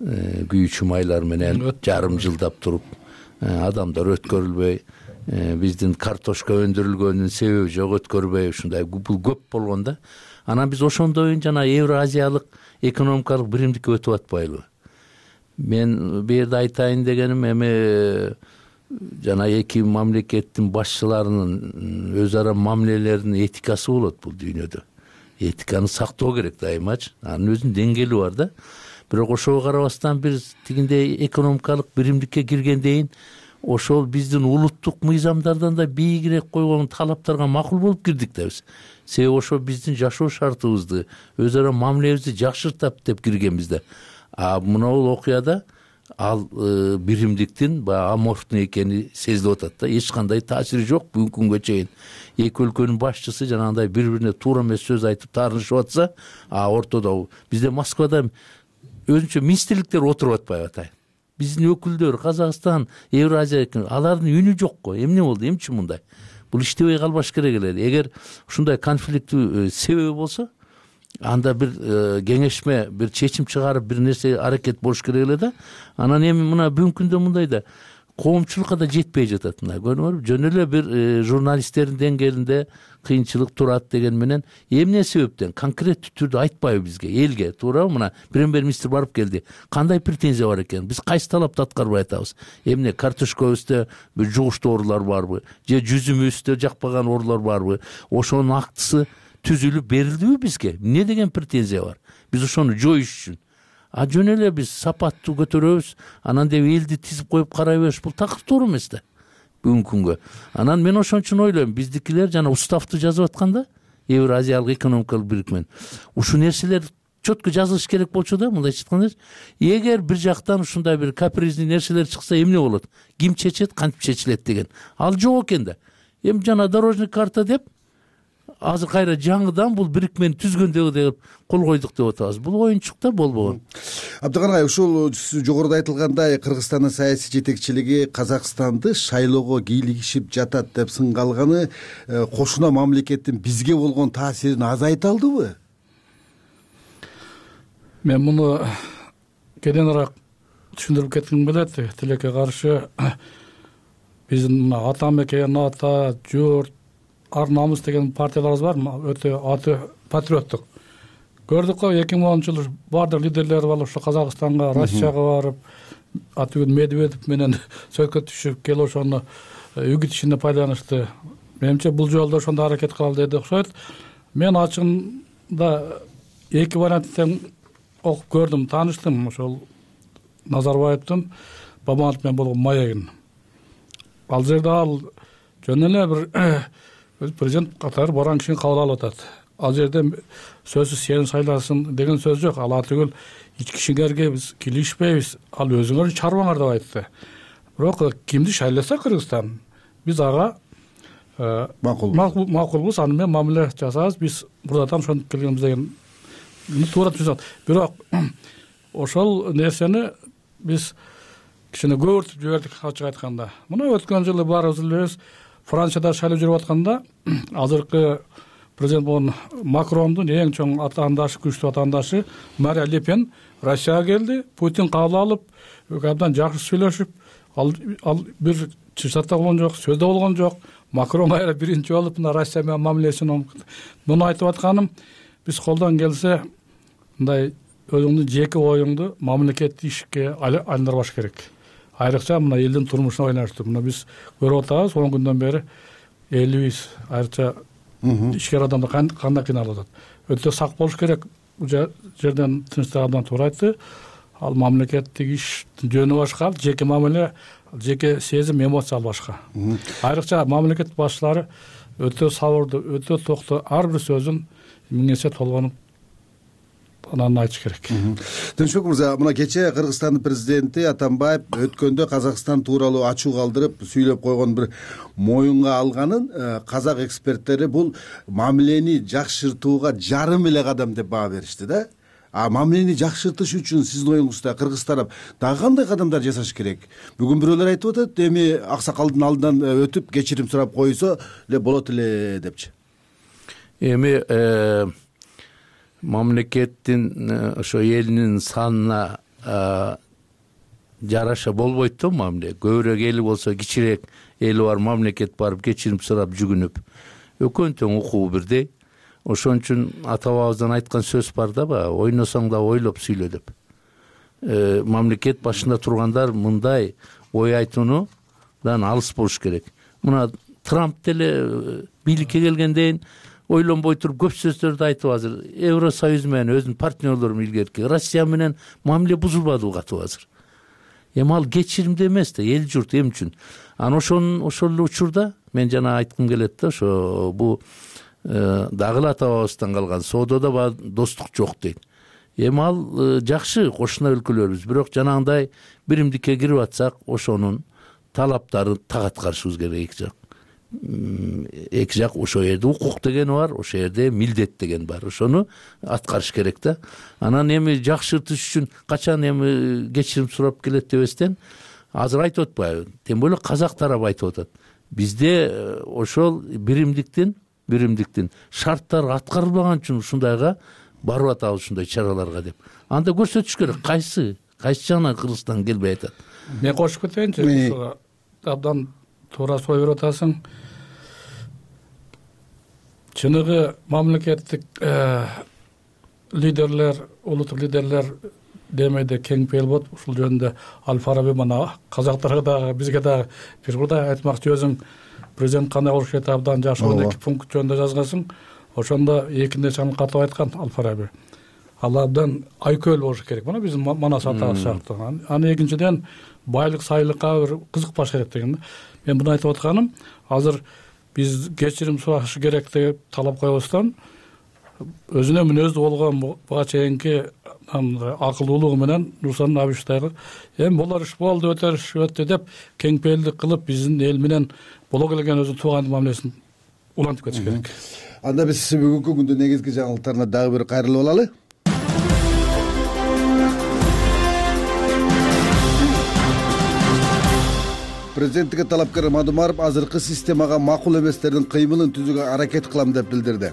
[SPEAKER 8] күйүүчү майлар менен жарым жылдап туруп, адамдар өткөрүлбөй, биздин картошка өндүрүлгөнүнүн себеби жок, өткөрбөй, ушундай бул көп болгон да. Анан биз ошондой жана Евразиялык экономикалык биримдикке өтүп атпайлыбы? Мен бу жерде айтайын дегеним, эми жана эки мамлекеттин башчыларынын өз ара мамилелеринин этикасы болот бул дүйнөдө. Этиканы сактоо керек дайымачы. Анын өзүнүн деңгээли бар да. Бирок ошого карабастан биз тигиндей экономикалык биримдикке киргендейин ошол биздин улуттук мыйзамдардан да бийигирээк койгон талаптарга макул болуп кирдик да биз. Себеби ошо биздин жашоо шартыбызды, өз ара мамилебизди жакшыртат деп киргенбиз да. Мына окуяда ал биримдиктин баягы аморфтуу экени сезилип атат да. Эч кандай таасири жок бүгүнкү күнгө чейин. Эки өлкөнүн башчысы жанагындай бири-бирине туура эмес сөз айтып таарынышып атса, ортодо бизде Москвада өзүнчө министрликтер отуруп атпайбы атайын. Биздин өкүлдөр Казакстан, Евразия, алардын үнү жок го. Эмне болду? Эмчи мындай? Бул иштебей калбаш керек эле. Эгер ушундай конфликттүү себеби болсо, анда бир кеңешме, бир чечим чыгарып, бир нерсе аракет болуш керек эле да. Анан эми мына бүгүнкү күндө мындай да коомчулукка да жетпей жатат. Мына көрүңөр, жөн эле бир журналисттердин деңгээлинде кыйынчылык турат деген менен эмне себептен конкреттүү түрдө айтпайбы бизге, элге, туурабы? Мына премьер-министр барып келди. Кандай претензия бар экен? Биз кайсы талапты аткарбай атабыз? Эмне картошкабызда бир жугуштуу оорулар барбы? Же жүзүмүздө жакпаган оорулар барбы? Ошонун актысы түзүлүп берилдиби бизге? Эмне деген претензия бар? Биз ошону жоюш үчүн жөн эле биз сапаттуу көтөрөбүз, анан деп элди тизип коюп карай бериш, бул такыр туура эмес да бүгүнкү күнгө. Анан мен ошон үчүн ойлойм, биздикилер жана уставты жазып атканда, Евразиялык экономикалык бирикмен, ушул нерселер четко жазылыш керек болчу да, мындайча айтканда. Эгер бир жактан ушундай бир каприздүү нерселер чыкса эмне болот? Ким чечет, кантип чечилет деген. Ал жок экен да. Эми жана дорожный карта деп азыр кайра жаңыдан бул бирикмени түзгөндөгү деп кол койдук деп атабыз. Бул оюнчук да болбогон.
[SPEAKER 4] Абдыган агай, ушул жогоруда айтылгандай Кыргызстандын саясий жетекчилиги Казакстанды шайлоого кийлигишип жатат деп сынгалганы кошуна мамлекеттин бизге болгон таасирин азайта алдыбы?
[SPEAKER 7] Мен муну кененирээк түшүндүрүп кетким келет. Тилекке каршы биздин ата мекен, ата, журт, ар намыс деген партияларыбыз бар, өтө аты патриоттук. Көрдүк го 2010-жылы бардык лидерлер бар, ошо Казакстанга, Россияга барып, атүгүн Медведев менен сөзгө түшүп келип ошону үгүтүшүнө пайдаланышты. Менимче бул жолдо ошондой аракет кылалы деди окшойт. Мен ачыгында эки варианттан окуп көрдүм, тааныштым ошол Назарбаевдин Бабанов менен болгон маегин. Ал жерде ал жөн эле бир президент катары баран кишини кабыл алып атат. Ал жерде сөзсүз сени шайласын деген сөз жок. Ал атүгүл ички ишиңерге биз килишпейбиз, ал өзүңөр чарбаңар деп айтты. Бирок кимди шайласа Кыргызстан, биз ага макулбуз, аны менен мамиле жасайбыз, биз мурдадан ошентип келгенбиз деген туура түшүнөт. Бирок ошол нерсени биз кичине көбүртүп жибердик, ачык айтканда. Мына өткөн жылы баарыбыз билебиз, Францияда шайлоо жүрүп атканда азыркы президент болгон Макрондун эң чоң атаандашы, күчтүү атаандашы Мария Ле Пен Россияга келди. Путин кабыл алып, абдан жакшы сүйлөшүп, ал бир чыштата болгон жок, сөздө болгон жок. Макрон кайра биринчи болуп мына Россия менен мамилесин муну айтып атканым, биз колдон келсе мындай өзүңдүн жеке оюңду мамлекеттик ишке айландырбаш керек. Айрыкча мына элдин турмушуна ойноштур. Мына биз көрүп атабыз, 10 күндөн бери элибиз айрыкча ишкер адамдар кандай кыйналып атат. Өтө сак болуш керек. Бул жерден Тынчтык абдан туура айтты. Ал мамлекеттик иш жөнү башка, жеке мамиле, жеке сезим, эмоция башка. Айрыкча мамлекет башчылары өтө сабырдуу, өтө токтоо, ар бир сөзүн миңесе толгонуп анан айтыш керек.
[SPEAKER 4] Тынчбек мырза, мына кечээ Кыргызстандын президенти Атамбаев өткөндө Казакстан тууралуу ачуу калтырып сүйлөп койгон бир моюнга алганын казак эксперттери бул мамилени жакшыртууга жарым эле кадам деп баа беришти да. А мамилени жакшыртыш үчүн сиздин оюңузда Кыргыз тарап дагы кандай кадамдар жасаш керек? Бүгүн бирөөлөр айтып атат, эми аксакалдын алдынан өтүп кечирим сурап койсо эле болот эле депчи.
[SPEAKER 8] Эми мамлекеттин ошо элинин санына жараша болбойт да мамиле. Көбүрөөк эли болсо кичирээк эли бар мамлекет барып кечирим сурап жүгүнүп. Экөөнүн тең укугу бирдей. Ошон үчүн ата бабабыздан айткан сөз бар да, ойносоң да ойлоп сүйлө деп. Мамлекет башында тургандар мындай ой айтуудан алыс болуш керек. Мына Трамп деле бийликке келгенден ойлонбой туруп көп сөздөрдү айтып азыр. Евросоюз менен өзүнүн партнерлору илгерки Россия менен мамиле бузулбады катып азыр. Эми ал кечиримде эмес да, эл журт эм үчүн. Анан ошол эле учурда мен жана айткым келет да, ошо бул дагы эле ата бабабыздан калган соодода достук жок дейт. Эми ал жакшы кошуна өлкөлөрбүз, бирок жанагындай биримдикке кирип атсак, ошонун талаптарын так аткарышыбыз керек эки жак. Эки жак ошол жерде укук деген бар, ошол жерде милдет деген бар. Ошону аткарыш керек да. Анан эми жакшыртыш үчүн качан эми кечирим сурап келет дебестен азыр айтып атпайбы? Тем более казак тарап айтып атат. Бизде ошол биримдиктин шарттары аткарылбаган үчүн ушундайга барып атабыз, ушундай чараларга деп. Анда көрсөтүш керек, кайсы жагынан Кыргызстан келбей атат.
[SPEAKER 7] Мен кошуп кетейинчи, абдан туура сой берип атасың. Чыныгы мамлекеттик лидерлер, улуттук лидерлер демейде кең пейил болот. Ушул жөнүндө Аль-Фараби мына казактарга дагы, бизге дагы бир курдай айтмакчы, өзүң президент кандай болуш керек абдан жакшы 12 пункт жөнүндө жазгансың. Ошондо эки нерсени катып айткан Аль-Фараби. Ал абдан айкөл болуш керек. Мына биздин Манас атабыз сыяктуу. Аны экинчиден байлык сайлыкка бир кызыкпаш керек деген. Мен буну айтып атканым, азыр биз кечирим сурашы керек деп талап коебуздан өзүнө мүнөздүү болгон буга чейинки акылдуулугу менен Нурсултан Абишевдагы эми булар иш болду, өтө деп кең пейилдик кылып биздин эл менен боло келген өзү туугандык мамилесин улантып кетиш керек.
[SPEAKER 4] Анда биз бүгүнкү күндүн негизги жаңылыктарына дагы бир кайрылып алалы. Президенттикке талапкер Мадумаров азыркы системага макул эместердин кыймылын түзүүгө аракет кылам деп билдирди.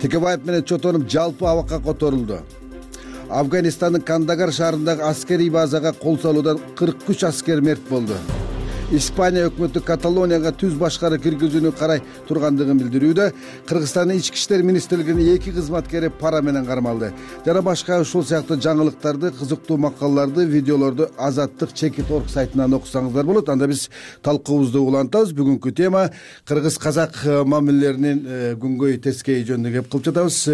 [SPEAKER 4] Текебаев менен чотонуп жалпы абакка которулду. Афганистандын Кандагар шаарындагы аскерий базага кол салуудан 43 аскер мерт болду. Испания өкмөтү Каталонияга түз башкары киргизүүнү карай тургандыгын билдирүүдө. Кыргызстандын ички иштер министрлигинин 2 кызматкери пара менен кармалды. Жана башка ушул сыяктуу жаңылыктарды, кызыктуу макалаларды, видеолорду Азаттык Чекит.org сайтынан окусаңыздар болот. Анда биз талкуубузду улантабыз. Бүгүнкү тема кыргыз-казак мамилелеринин күнгөй тескей жөнүндө кеп кылып жатабыз.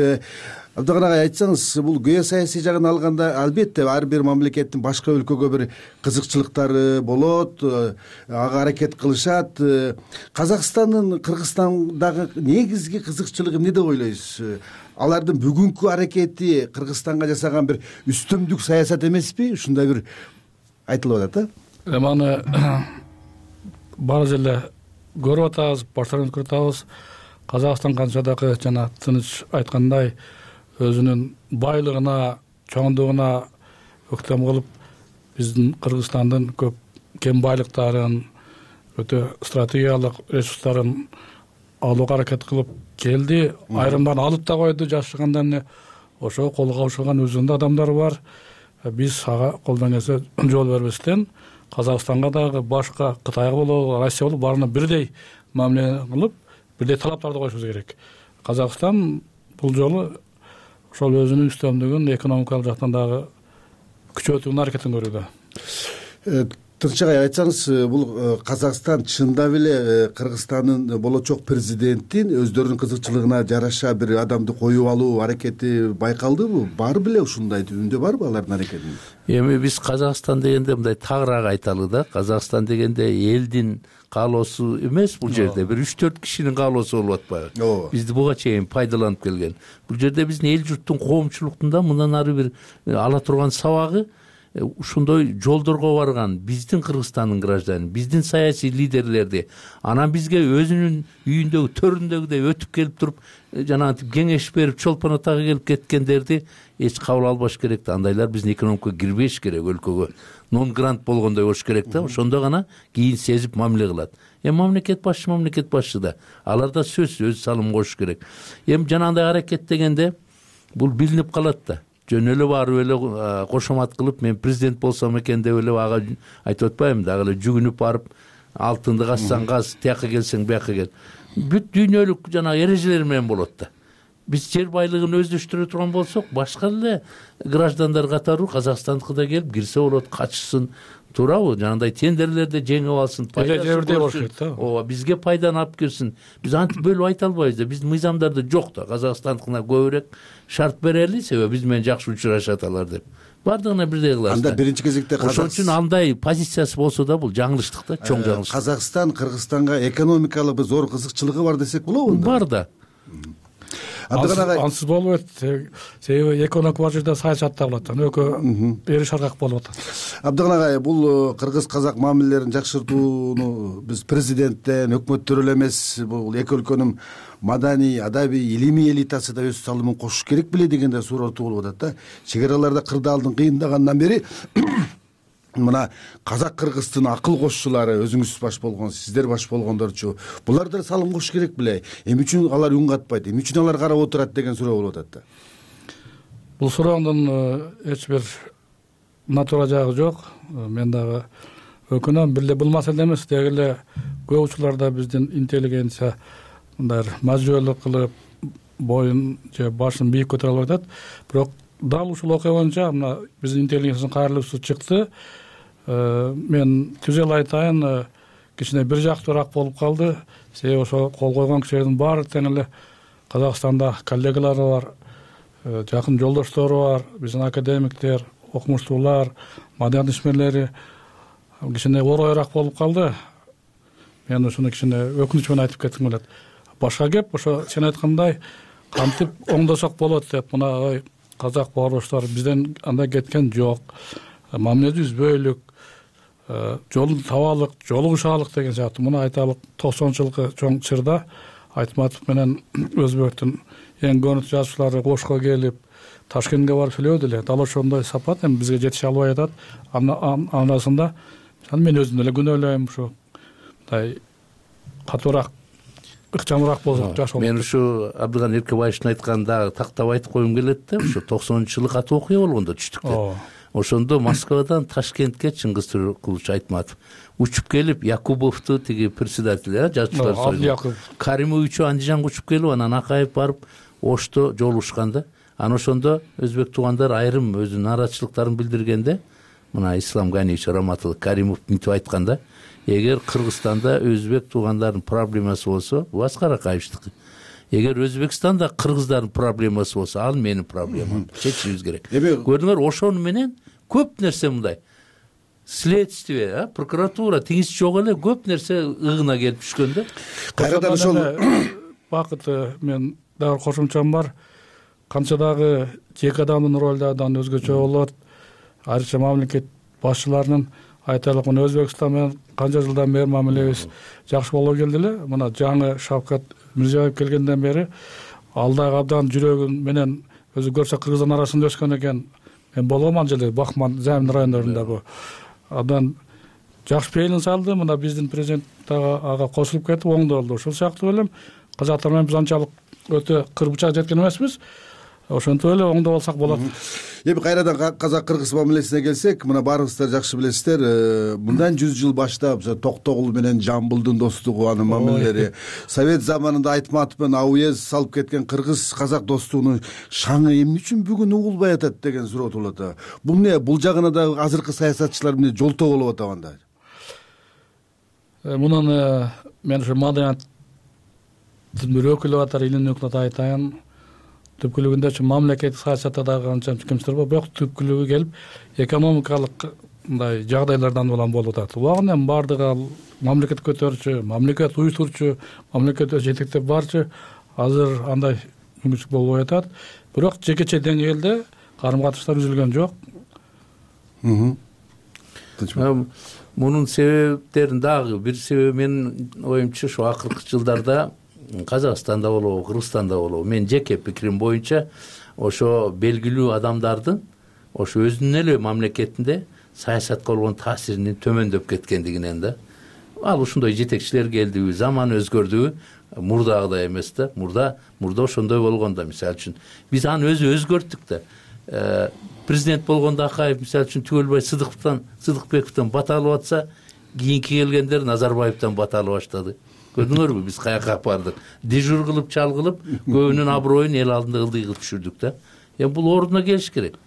[SPEAKER 4] Абдыган агай, айтсаңыз, бул геосаясий жагын алганда албетте ар бир мамлекеттин башка өлкөгө бир кызыкчылыктары болот, ага аракет кылышат. Казакстандын Кыргызстандагы негизги кызыкчылыгы эмне деп ойлойсуз? Алардын бүгүнкү аракети Кыргызстанга жасаган бир үстөмдүк саясат эмеспи? Ушундай бир айтылып атат да.
[SPEAKER 7] Эми аны баары эле көрүп атабыз, баштан көрүп атабыз. Казакстан канча дагы жана Тыныч айткандай өзүнүн байлыгына, чоңдугуна өктөм кылып, биздин Кыргызстандын көп кен байлыктарын, өтө стратегиялык ресурстарын алууга аракет кылып келди. Айрымдарын алып да койду, жашагандан ошо колго алышкан өзүнүн адамдары бар. Биз ага колдон келсе жол бербестен Казакстанга дагы башка Кытайга болобу, Россия болобу баарына бирдей мамиле кылып, бирдей талаптарды коюшубуз керек. Казакстан бул жолу ошол өзүнүн үстөмдүгүн экономикалык жактан дагы күчөтүүнүн аракетин көрүүдө.
[SPEAKER 4] Тынч агай, айтсаңыз, бул Казакстан чындап эле Кыргызстандын болочок президентин өздөрүнүн кызыкчылыгына жараша бир адамды коюп алуу аракети байкалдыбы? Бар беле ушундай түбүндө барбы алардын аракети?
[SPEAKER 8] Эми биз Казакстан дегенде мындай тагыраак айталы да. Казакстан дегенде элдин каалоосу эмес, бул жерде бир 3-4 кишинин каалоосу болуп атпайбы? Бизди буга чейин пайдаланып келген. Бул жерде биздин эл журттун коомчулуктун да мындан ары бир ала турган сабагы ушундой жолдорго барган биздин Кыргызстандын гражданы, биздин саясий лидерлерди анан бизге өзүнүн үйүндөгү төрүндөгүдөй өтүп келип туруп жанагынтип кеңеш берип чолпон атага келип кеткендерди эч кабыл албаш керек да. Андайлар биздин экономикага кирбеш керек, өлкөгө нон грант болгондой болуш керек да. Ошондо гана кийин сезип мамиле кылат. Мамлекет башчы да, алар да сөзсүз өз салым кошуш керек. Жанагындай аракет дегенде бул билинип калат да. Жөн эле барып эле кошомат кылып, мен президент болсом экен деп эле ага айтып атпайбымы, дагы эле жүгүнүп барып, алтынды казсаң каз, тияка келсең бияка кел. Бүт дүйнөлүк жанагы эрежелер менен болот да. Биз жер байлыгын өздөштүрө турган болсок, башка эле граждандар катары Казакстандыкына келип кирсе болот, качсын, туурабы? Жанагындай тендерлерди жеңип алсын,
[SPEAKER 7] пайдасын көрсүн.
[SPEAKER 8] Ооба, бизге пайданы алып келсин. Биз антип бөлүп айта албайбыз да. Биздин мыйзамдарда жок да. Казакстандыкына көбүрөөк шарт берели, себеби биз менен жакшы учурашат алар деп. Бардыгына бирдей кылабыз.
[SPEAKER 4] Анда биринчи кезекте
[SPEAKER 8] ошон үчүн андай позициясы болсо да бул жаңылыштык да, чоң жаңылыштык.
[SPEAKER 4] Казакстан Кыргызстанга экономикалык бир зор кызыкчылыгы бар десек болобу?
[SPEAKER 8] Бар да.
[SPEAKER 7] Ансыз болбойт. Себеби экономик бар жерде саясатта болот. Экөө бери шаргак болуп атат.
[SPEAKER 4] Абдыган агай, бул кыргыз-казак мамилелерин жакшыртууну биз президенттен, өкмөттөр эле эмес, бул эки өлкөнүн маданий, адабий, илимий элитасы да өз салымын кошуш керек беле дегенде сурооту болуп атат да. Чек араларда кырдаалдын кыйындагандан бери мына казак-кыргыздын акыл кошчулары, өзүңүз баш болгонсуз, сиздер баш болгондорчу, булар да салым кошуш керек беле? Эмне үчүн алар үн катпайт? Эмне үчүн алар карап отурат деген суроо болуп атат да.
[SPEAKER 7] Бул суроондун эч бир натура жагы жок. Мен дагы өкүнөм, бир эле бул маселе эмес, деги эле көп учурларда биздин интеллигенция мындай мажбүрлүк кылып, боюн же башын бийик көтөрө алып атат. Бирок дал ушул окуя боюнча мына биздин интеллигенциянын кайрылуусу чыкты. Мен түзел айтайын, кичине бир жактуураак болуп калды. Себеби ошо кол койгон кишилердин баары тең эле Казакстанда коллегалары бар, жакын жолдоштору бар, биздин академиктер, окумуштуулар, маданият ишмерлери кичине оройраак болуп калды. Мен ушуну кичине өкүнүч менен айтып кетким келет. Башка кеп, ошо сен айткандай кантип оңдосок болот деп, мына казак бауырдаштар бизден андай кеткен жок. Мамиледи үзбөйлүк, жолун табалык, жолугушалык деген сыяктуу. Муну айталык 90-жылкы чоң чырда Айтматов менен Өзбектин эң көрүнүктүү жазуучулары Ошко келип, Ташкентке барып сүйлөдү эле. Дал ошондой сапат эми бизге жетише албай атат. Анасында мен өзүм эле күнөөлөйм, ушу мындай катуураак, ыкчамыраак болсок жакшы болот.
[SPEAKER 8] Мен ушу Абдыган Эркебаевдин айтканында тактап айтып койгум келет да, ушу 90-жылы катуу окуя болгондо түштүктө. Ошондо Москвадан Ташкентке Чыңгыз Туркулович Айтматов учуп келип, Якубовду тиги председатель, жазуучулар союзу Каримовичу Андижанга учуп келип, анан Акаев барып Ошто жолугушканда, анан ошондо өзбек туугандар айрым өзүнүн нааразычылыктарын билдиргенде, мына Ислам Ганиевич Раматуллов Каримов мынтип айтканда, эгер Кыргызстанда өзбек туугандардын проблемасы болсо, бул Аскар Акаевичтики. Эгер Өзбекстанда кыргыздардын проблемасы болсо, ал менин проблемам. Чечишибиз керек. Көрдүңөр, ошону менен көп нерсе мындай. Следствие, прокуратура теңиз жок эле көп нерсе ыгына келип түшкөн да.
[SPEAKER 4] Кайрадан ошол
[SPEAKER 7] бакыт мен дагы кошумчам бар. Канча дагы жеке адамдын ролу абдан өзгөчө болот. Айрыкча мамлекет башчыларынын айтайлык, мына Өзбекстан менен канча жылдан бери мамилебиз жакшы болуп келди эле. Мына жаңы Шавкат Мирзиёев келгенден бери ал дагы абдан жүрөгүн менен өзү көрсө Кыргызстан арасында өскөн экен. Мен болгом ал жерде Бахман, Замин райондорунда бу. Абдан жакшы пейилин салды. Мына биздин президент дагы ага кошулуп кетип оңдолду. Ошол сыяктуу элем казактар менен биз анчалык өтө кырбычак жеткен эмеспиз. Ошентип эле оңдоп алсак болот.
[SPEAKER 4] Эми кайрадан казак-кыргыз мамилесине келсек, мына баарыңыздар жакшы билесиздер, мындан 100 жыл баштап Токтогул менен Жамбылдын достугу, анын мамилелери, Совет заманында Айтматов менен Ауез салып кеткен кыргыз-казак достугунун шаңы эмне үчүн бүгүн угулбай атат деген суроо туулат. Бул эмне? Бул жагына да азыркы саясатчылар эмне жолтоо болуп атабы анда?
[SPEAKER 7] мунун мен ушу маданияттын бир өкүлү катары илимдин өкүлү айтайын. Түпкүлүгүндө мамлекеттик саясатта дагы канча кемчиликтер бар, бирок түпкүлүгү келип экономикалык мындай жагдайлардан улам болуп атат. Убагында эми бардыгы ал мамлекет көтөрүүчү, мамлекет уюштуруучу, мамлекет жетектеп барчу азыр андай мүмкүнчүлүк болбой атат. Бирок жекече деңгээлде карым-катыштар үзүлгөн жок.
[SPEAKER 8] Мунун себептерин дагы бир себеби менин оюмча ушу акыркы жылдарда Казакстанда болобу, Кыргызстанда болобу, мен жеке пикирим боюнча ошо белгилүү адамдардын ошо өзүнүн эле мамлекетинде саясатка болгон таасиринин төмөндөп кеткендигинен да. Ал ушундай жетекчилер келдиби, заман өзгөрдүбү, мурдагыдай эмес да. Мурда ошондой болгон да. Мисалы үчүн биз аны өзгөрттүк да. Президент болгондо Акаев мисалы үчүн Түгөлбай Сыдыкбековдон бата алып атса, кийинки келгендер Назарбаевдон бата алып баштады. Көрдүңөрбү, биз каяка бардык? Дежур кылып, чал кылып, көбүнүн аброюн эл алдында ылдый кылып түшүрдүк да. Бул ордуна келиш керек.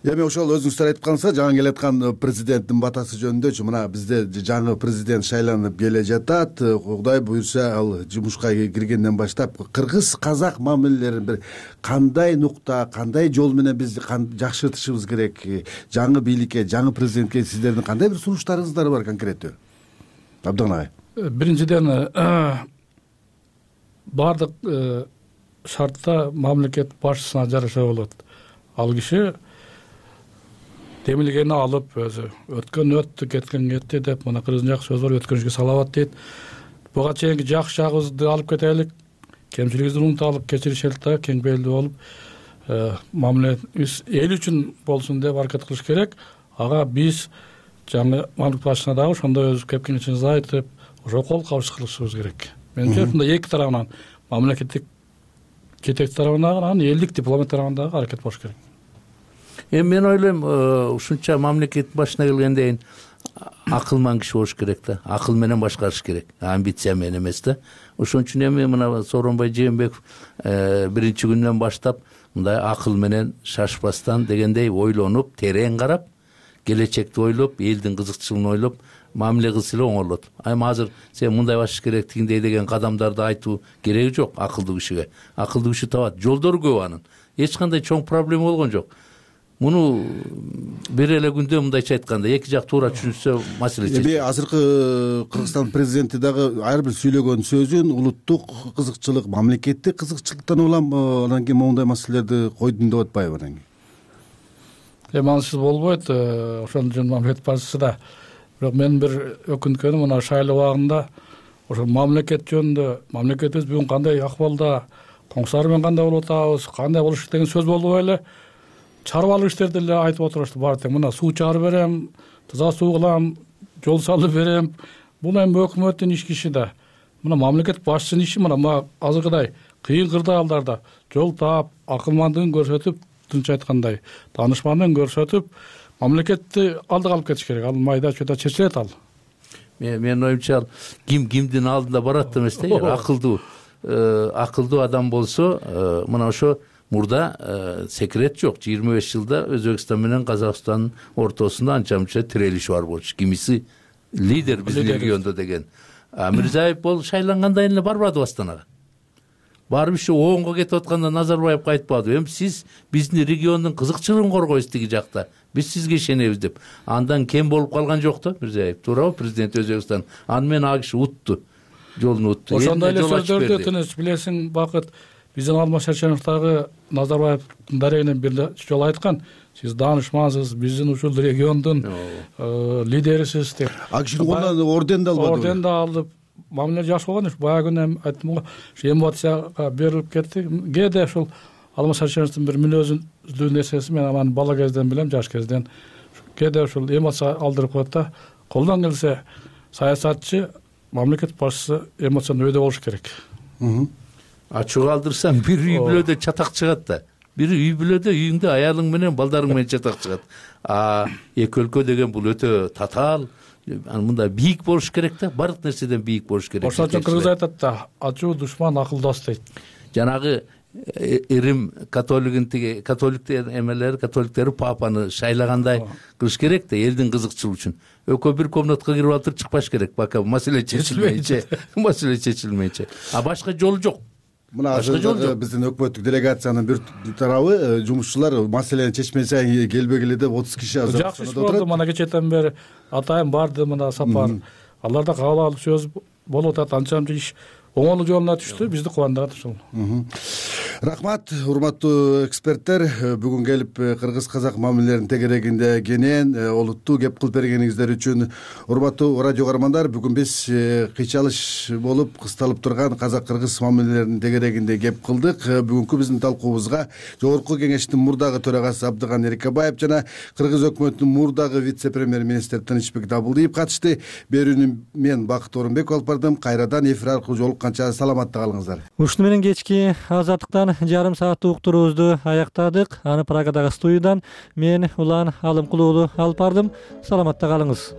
[SPEAKER 4] Эми ошол өзүңүздөр айткансыз, жаңы келаткан президенттин батасы жөнүндөчү, мына бизде жаңы президент шайланып келе жатат. Кудай буюрса, ал жумушка киргенден баштап кыргыз казак мамилелерин бир кандай нукта, кандай жол менен биз жакшыртышыбыз керек? Жаңы бийликке, жаңы президентке сиздердин кандай бир сунуштарыңыздар бар конкреттүү? Абдыган агай.
[SPEAKER 7] Биринчиден бардык шартта мамлекет башчысына жараша болот. Ал киши демилгени алып, өзү өткөн өттү, кеткен кетти деп, мына кыргыздын жакшы сөзү бар, өткөн ишке салават дейт. Буга чейинки жакшы жагыбызды алып кетелик, кемчилигибизди унуталып, кечиришелик да, кең белдүү болуп, мамиле эл үчүн болсун деп аракет кылыш керек. Ага биз жаңы мамлекет башчысына дагы ошондой өз кепкенчилигибизди айтып, ошо кол кабыш кылышыбыз керек. Менимче ушундай эки тарабынан, мамлекеттик жетекчи тарабынан, анан элдик дипломат тарабынан дагы аракет болуш керек.
[SPEAKER 8] Мен ойлойм, ушунча мамлекет башына келгенден кийин акылман киши болуш керек да. Акыл менен башкарыш керек, амбиция менен эмес да. Ошон үчүн эми мына Сооронбай Жээнбеков биринчи күндөн баштап мындай акыл менен шашпастан дегендей ойлонуп, терең карап, келечекти ойлоп, элдин кызыкчылыгын ойлоп, мамиле кылса эле оңолот. Эми азыр сен мындай башыш керек, тигиндей деген кадамдарды айтуу кереги жок акылдуу кишиге. Акылдуу киши табат. Жолдору көп анын. Эч кандай чоң проблема болгон жок. Муну бир эле күндө мындайча айтканда эки жак туура түшүнсө маселе чечилет.
[SPEAKER 4] Эми азыркы Кыргызстан президенти дагы ар бир сүйлөгөн сөзүн улуттук кызыкчылык, мамлекеттик кызыкчылыктан улам анан кийин моундай маселелерди койдум деп атпайбы анан кийин?
[SPEAKER 7] Эми анысыз болбойт, ошон үчүн мамлекет башчысы да. Бирок мен бир өкүнткөнүм, мына шайлоо убагында ошо мамлекет жөнүндө, мамлекетибиз бүгүн кандай акыбалда, коңсары менен кандай болуп атабыз, кандай болуш деген сөз болбой эле чарбалык иштерди эле айтып отурушты. Бар тең мына суу чыгарып берем, таза суу кылам, жол салып берем. Бул эми өкмөттүн иш киши да. Мына мамлекет башчысынын иши мына азыркыдай кыйын кырдаалдарда жол таап, акылмандыгын көрсөтүп, тынч айткандай, таанышмандыгын көрсөтүп, мамлекетти алдыга алып кетиш керек. Ал майда чөйдө чечилет ал.
[SPEAKER 8] Мен оюмча кимдин алдында барат эмес да, акылдуу адам болсо, мына ошо мурда секрет жок. 25 жылда Өзбекстан менен Казакстандын ортосунда анча-мынча тирелиш бар болчу. Кимиси лидер биздин региондо деген. Мирзиёев бол шайлангандай эле барбады Астанага. Барып ушу оңго кетип атканда Назарбаевга айтпады. Эми сиз биздин региондун кызыкчылыгын коргойсуз тиги жакта. Биз сизге ишенебиз деп. Андан кем болуп калган жок да Мирзиёев. Туурабы, президент Өзбекстан. Аны менен ал киши утту. Жолун утту.
[SPEAKER 7] Ошондой эле сөздөрдү тыныч билесиң, Бакыт, биздин Алмаз Шаршенов дагы Назарбаевдин дарегинен бир жолу айткан, сиз даанышмансыз, биздин ушул региондун лидерисиз деп.
[SPEAKER 4] А кишинин колунан орден да албады.
[SPEAKER 7] Орден да алып, мамиле жакшы болгон. Баягы күнү айттым го, ушу эмоцияга берилип кетти. Кээде ушул Алмаз Шаршеновдун бир мүнөзүндүү нерсеси, мен аны бала кезден билем, жаш кезден. Кээде ушул эмоция алдырып коет да. Колдон келсе саясатчы, мамлекет башчысы эмоцияны өйдө болуш керек.
[SPEAKER 8] Ачуу калтырсаң бир үй бүлөдө чатак чыгат да. Бир үй бүлөдө үйүңдө аялың менен, балдарың менен чатак чыгат. Эки өлкө деген бул өтө татаал, мындай бийик болуш керек да, бардык нерседен бийик болуш керек.
[SPEAKER 7] Ошон үчүн кыргыз айтат да, ачуу душман акылдас дейт.
[SPEAKER 8] Жанагы Рим католиктер эмелери, католиктери папаны шайлагандай кылыш керек да, элдин кызыкчылыгы үчүн. Экөө бир комнатка кирип алып чыкпаш керек, пока маселе чечилмейинче. А башка жолу жок.
[SPEAKER 4] Мына азыр биздин өкмөттүк делегациянын бир тарабы жумушчулар маселени чечмесе келбегиле деп 30 киши
[SPEAKER 7] жакшы иш болду. Мына кечээден бери атайын барды мына сапар. Алар да кабыл алып сөз болуп атат, анча иш оңолуу жолуна түштү, бизди кубандырат ушул.
[SPEAKER 4] Рахмат, урматтуу эксперттер, бүгүн келип кыргыз-казак мамилелеринин тегерегинде кенен олуттуу кеп кылып бергениңиздер үчүн. Урматтуу радио көрөрмандар, бүгүн биз кыйчалыш болуп кысталып турган казак-кыргыз мамилелеринин тегерегинде кеп кылдык. Бүгүнкү биздин талкуубузга Жогорку Кеңештин мурдагы төрагасы Абдыган Эрикебаев жана Кыргыз өкмөтүнүн мурдагы вице-премьер-министри Тынычбек Дабылдиев катышты. Берүүнү мен Бакыт Орунбеков алып бардым. Кайрадан эфир аркылуу жолукканча саламатта калыңыздар.
[SPEAKER 1] Ушуну менен кечки Азаттыктан жарым сааттык уктуруубузду аяктадык. Аны Прагадагы студиядан мен Улан Алымкулуу алып бардым. Саламатта калыңыз.